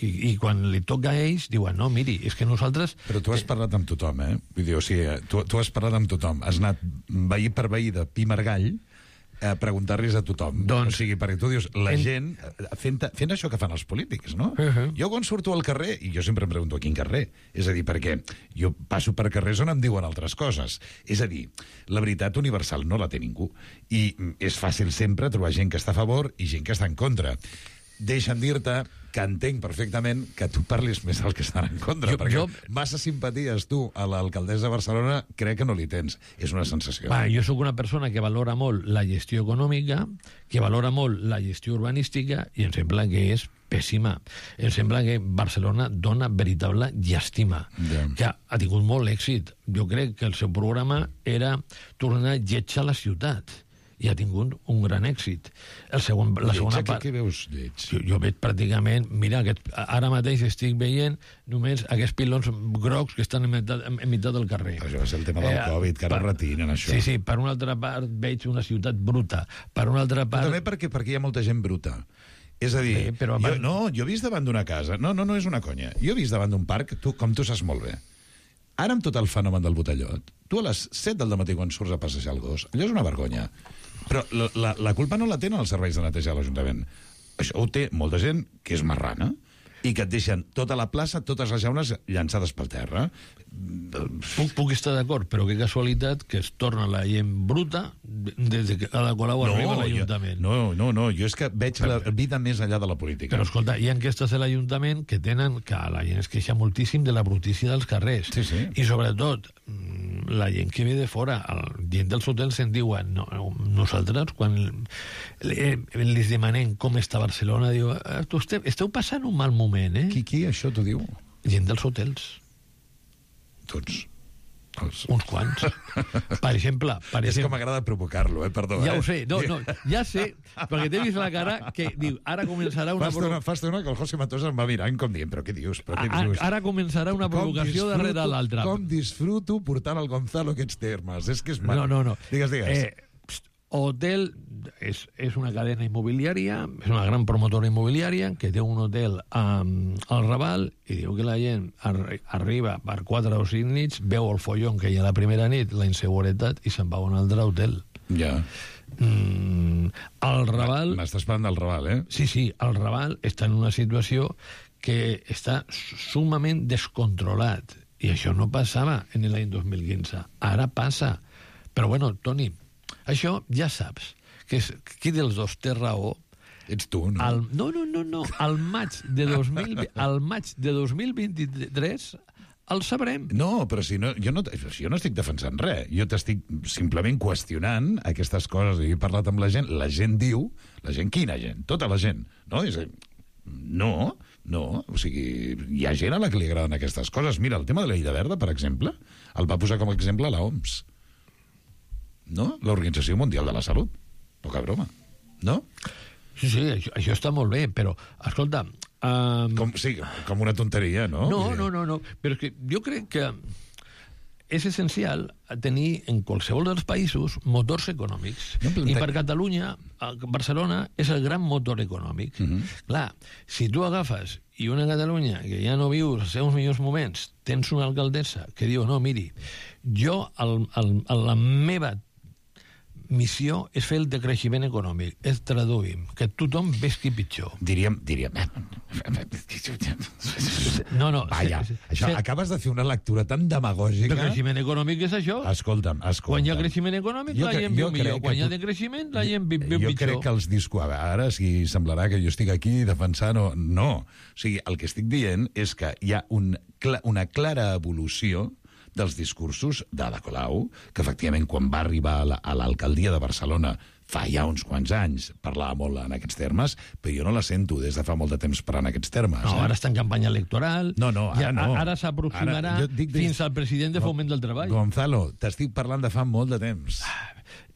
I quan li toca a ells, diuen, no, miri, és que nosaltres... Però tu has parlat amb tothom, eh? Vull dir, o sigui, tu has parlat amb tothom. Has anat veí per veí de Pi Margall a preguntar-los a tothom. Doncs, o sigui, perquè tu dius, la gent fent això que fan els polítics, no? Jo quan surto al carrer, i jo sempre em pregunto a quin carrer, és a dir, perquè jo passo per carrers on em diuen altres coses. És a dir, la veritat universal no la té ningú. I és fàcil sempre trobar gent que està a favor i gent que està en contra. Deixa'm dir-te que entenc perfectament que tu parlis més del que estan en contra, perquè massa simpaties tu a l'alcaldessa de Barcelona crec que no li tens. És una sensació. Jo sóc una persona que valora molt la gestió econòmica, que valora molt la gestió urbanística, i em sembla que és pèssima. Em sembla que Barcelona dona veritable llàstima, que ha tingut molt èxit. Jo crec que el seu programa era tornar lletja a la ciutat, i ha tingut un gran èxit. La segona part... Què veus lleig? Jo veig pràcticament... Mira, ara mateix estic veient només aquests pilons grocs que estan en meitat del carrer. Això va ser el tema del Covid, que ara retinen, això. Sí, per una altra part veig una ciutat bruta. Per una altra part... Però també perquè hi ha molta gent bruta. És a dir, jo he vist davant d'una casa... No és una conya. Jo he vist davant d'un parc, com tu saps molt bé. Ara, amb tot el fenomen del botellot, tu a les 7 del matí quan surts a passejar el gos, allò és una vergonya. Però la culpa no la tenen els serveis de neteja de l'Ajuntament. Això ho té molta gent que és marrana i que et deixen tota la plaça, totes les jaunes llançades pel terra. Puc estar d'acord, però que casualitat que es torna la gent bruta des que cada col·laborador arriba a l'Ajuntament. No, jo és que veig la vida més enllà de la política. Però escolta, hi ha enquestes de l'Ajuntament que tenen que la gent es queixa moltíssim de la brutícia dels carrers. Sí. I sobretot, la gent que ve de fora, la gent dels hotels se'n diuen, nosaltres, quan les demanem com està Barcelona, diu, esteu passant un mal moment, eh? Qui això t'ho diu? Gent dels hotels. Tots. Uns quants. Per exemple... És que m'agrada provocar-lo, perdó. Ja ho sé, ja sé, perquè t'he vist la cara que diu, ara començarà una... Fa estona que el José Matosa em va mirant com dient, però què dius? Ara començarà una provocació darrere l'altra. Com disfruto portant el Gonzalo aquests termes. És que és mal. No. Digues. Hotel és una cadena immobiliària, és una gran promotora immobiliària que té un hotel al Raval i diu que la gent arriba per 4 o 5 nits, veu el follon que hi ha la primera nit, la inseguretat, i se'n va a un altre hotel. Ja. El Raval... M'estàs parlant del Raval, eh? Sí, el Raval està en una situació que està sumament descontrolat, i això no passava en l'any 2015. Ara passa. Però bueno, Toni, això ja saps, que qui dels dos té raó. Ets tu, no? No. Al maig de 2023 el sabrem. No, però si jo no estic defensant res. Jo t'estic simplement qüestionant aquestes coses. He parlat amb la gent diu... La gent, quina gent? Tota la gent. No, o sigui, hi ha gent a la que li agraden aquestes coses. Mira, el tema de l'Illa Verda, per exemple, el va posar com a exemple l'OMS. No? L'Organització Mundial de la Salut. Poca broma. No? Sí, això està molt bé, però, escolta... Com una tonteria, no? No, però és que jo crec que és essencial tenir en qualsevol dels països motors econòmics. I per Catalunya, Barcelona és el gran motor econòmic. Clar, si tu agafes i una Catalunya que ja no viu els seus millors moments, tens una alcaldessa que diu, no, miri, jo, la meva missió és fer el decreixement econòmic, és traduir que tothom vesqui pitjor. Diríem... No. Vaja, això, acabes de fer una lectura tan demagògica... El creixement econòmic és això. Escolta'm. Quan hi ha creixement econòmic, la gent viu millor. Quan hi ha decreixement, la gent viu pitjor. Jo crec que els discurs... Ara, si semblarà que jo estic aquí defensant o... No. O sigui, el que estic dient és que hi ha una clara evolució dels discursos d'Ada Colau, que efectivament quan va arribar a l'alcaldia de Barcelona fa ja uns quants anys parlava molt en aquests termes, però jo no la sento des de fa molt de temps parlant en aquests termes. No, ara està en campanya electoral. No, ara no. Ara s'aproximarà fins al president de Foment del Treball. Gonzalo, t'estic parlant de fa molt de temps.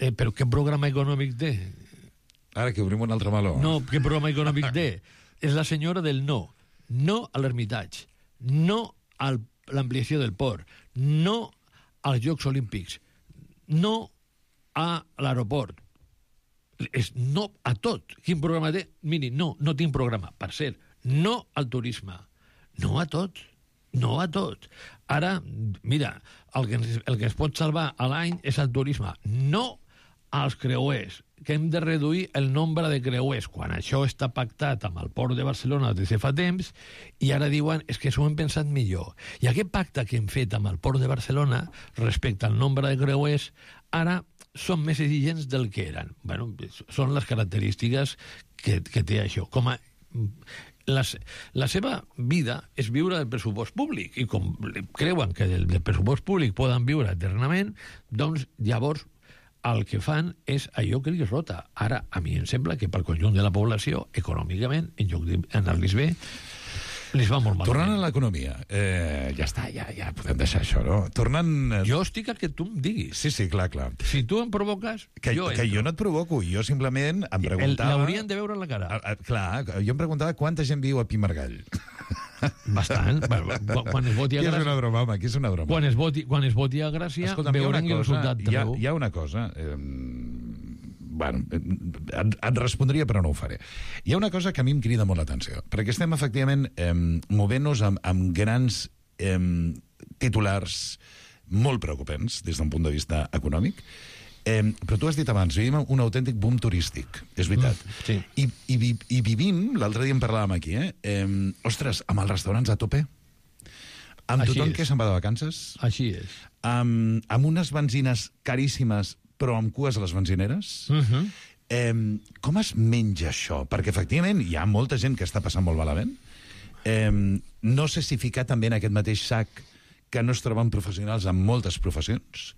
Però què programa econòmic té? Ara que obrim un altre meló. No, què programa econòmic té? És la senyora del no. No a l'Hermitage. No a l'ampliació del port. No als Jocs Olímpics. No a l'aeroport. És no a tot. Quin programa té? Miri, no tinc programa. Per cert, no al turisme. No a tot. No a tot. Ara, mira, el que es pot salvar a l'any és el turisme. No als creuers, que hem de reduir el nombre de creuers, quan això està pactat amb el Port de Barcelona des de fa temps, i ara diuen que s'ho hem pensat millor. I aquest pacte que hem fet amb el Port de Barcelona respecte al nombre de creuers, ara són més exigents del que eren. Bueno, són les característiques que té això. La seva vida és viure del pressupost públic, i com creuen que del pressupost públic poden viure eternament, doncs llavors el que fan és allò que li rota. Ara, a mi em sembla que pel conjunt de la població, econòmicament, en lloc d'anar-los bé, les va molt malament. Tornant a l'economia, ja està, ja podem deixar això, no? Tornant... Jo estic al que tu em diguis. Sí, clar. Si tu em provoques, que jo no et provoco, jo simplement em preguntava... L'haurien de veure en la cara. Clar, jo em preguntava quanta gent viu a Pimargall. Bastant. Quan es voti a Gràcia... Aquí és una broma, home, aquí és una broma. Quan es voti a Gràcia, veurem el resultat. Hi ha una cosa... Bueno, et respondria, però no ho faré. Hi ha una cosa que a mi em crida molt l'atenció, perquè estem, efectivament, movent-nos amb grans titulars molt preocupants des d'un punt de vista econòmic, però tu has dit abans, vivim un autèntic boom turístic, és veritat. Sí. I vivim, l'altre dia en parlàvem aquí, ostres, amb els restaurants a tope, amb tothom que se'n va de vacances, així és, amb unes benzines caríssimes, però amb cues a les benzineres. Com es menja això? Perquè, efectivament, hi ha molta gent que està passant molt malament. No sé si ficar també en aquest mateix sac que no es troben professionals en moltes professions.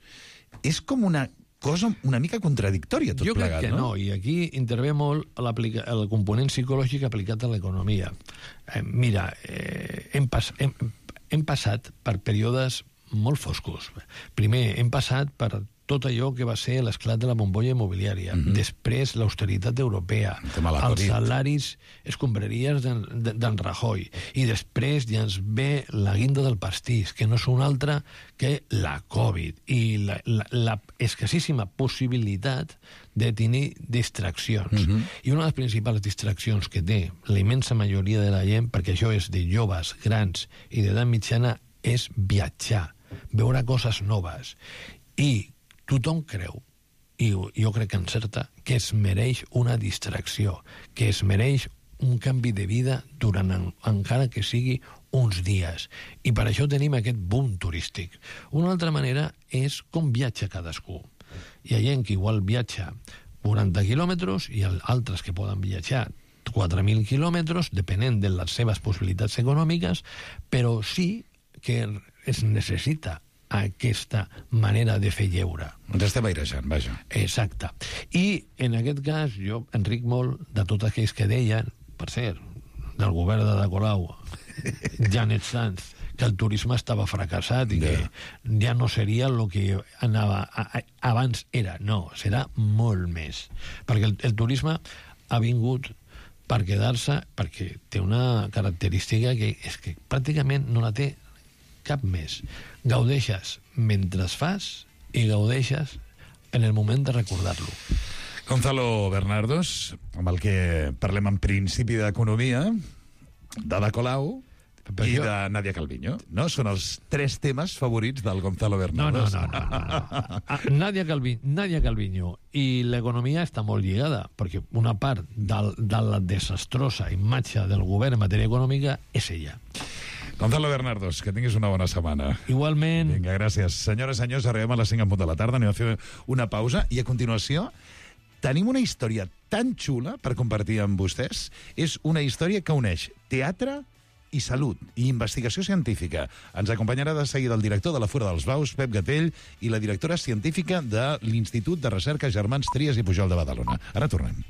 És com una cosa una mica contradictòria, tot plegat, no? Jo crec que no, i aquí intervé molt el component psicològic aplicat a l'economia. Mira, hem passat per períodes molt foscos. Primer, hem passat per tot allò que va ser l'esclat de la bombolla immobiliària, després l'austeritat europea, els salaris escombraries d'en Rajoy, i després ja ens ve la guinda del pastís, que no és una altra que la Covid, i la escassíssima possibilitat de tenir distraccions. I una de les principals distraccions que té la immensa majoria de la gent, perquè això és de joves, grans i d'edat mitjana, és viatjar, veure coses noves. I tothom creu, i jo crec que encerta, que es mereix una distracció, que es mereix un canvi de vida durant encara que sigui uns dies. I per això tenim aquest boom turístic. Una altra manera és com viatja cadascú. Hi ha gent que igual viatja 40 quilòmetres i altres que poden viatjar 4.000 quilòmetres, depenent de les seves possibilitats econòmiques, però sí que es necessita aquesta manera de fer lleure. Ens estem airejant, vaja. Exacte. I, en aquest cas, jo enric molt de tots aquells que deien, per cert, del govern de Colau, Janet Sanz, que el turisme estava fracassat i que ja no seria el que anava abans era. No, serà molt més. Perquè el turisme ha vingut per quedar-se, perquè té una característica que és que pràcticament no la té cap més. Gaudeixes mentre fas i gaudeixes en el moment de recordar-lo. Gonzalo Bernardos, amb el que parlem en principi d'economia, d'Ada Colau i de Nadia Calviño. No? Són els 3 temes favorits del Gonzalo Bernardos. No. Nadia Calviño i l'economia està molt lligada, perquè una part de la desastrosa imatge del govern en matèria econòmica és ella. Gonzalo Bernardos, que tinguis una bona setmana. Igualment. Vinga, gràcies. Senyores i senyors, arribem a les 5 en punt de la tarda, anem a fer una pausa i a continuació tenim una història tan xula per compartir amb vostès. És una història que uneix teatre i salut i investigació científica. Ens acompanyarà de seguida el director de la Fura dels Baus, Pep Gatell, i la directora científica de l'Institut de Recerca Germans Trias i Pujol de Badalona. Ara tornem.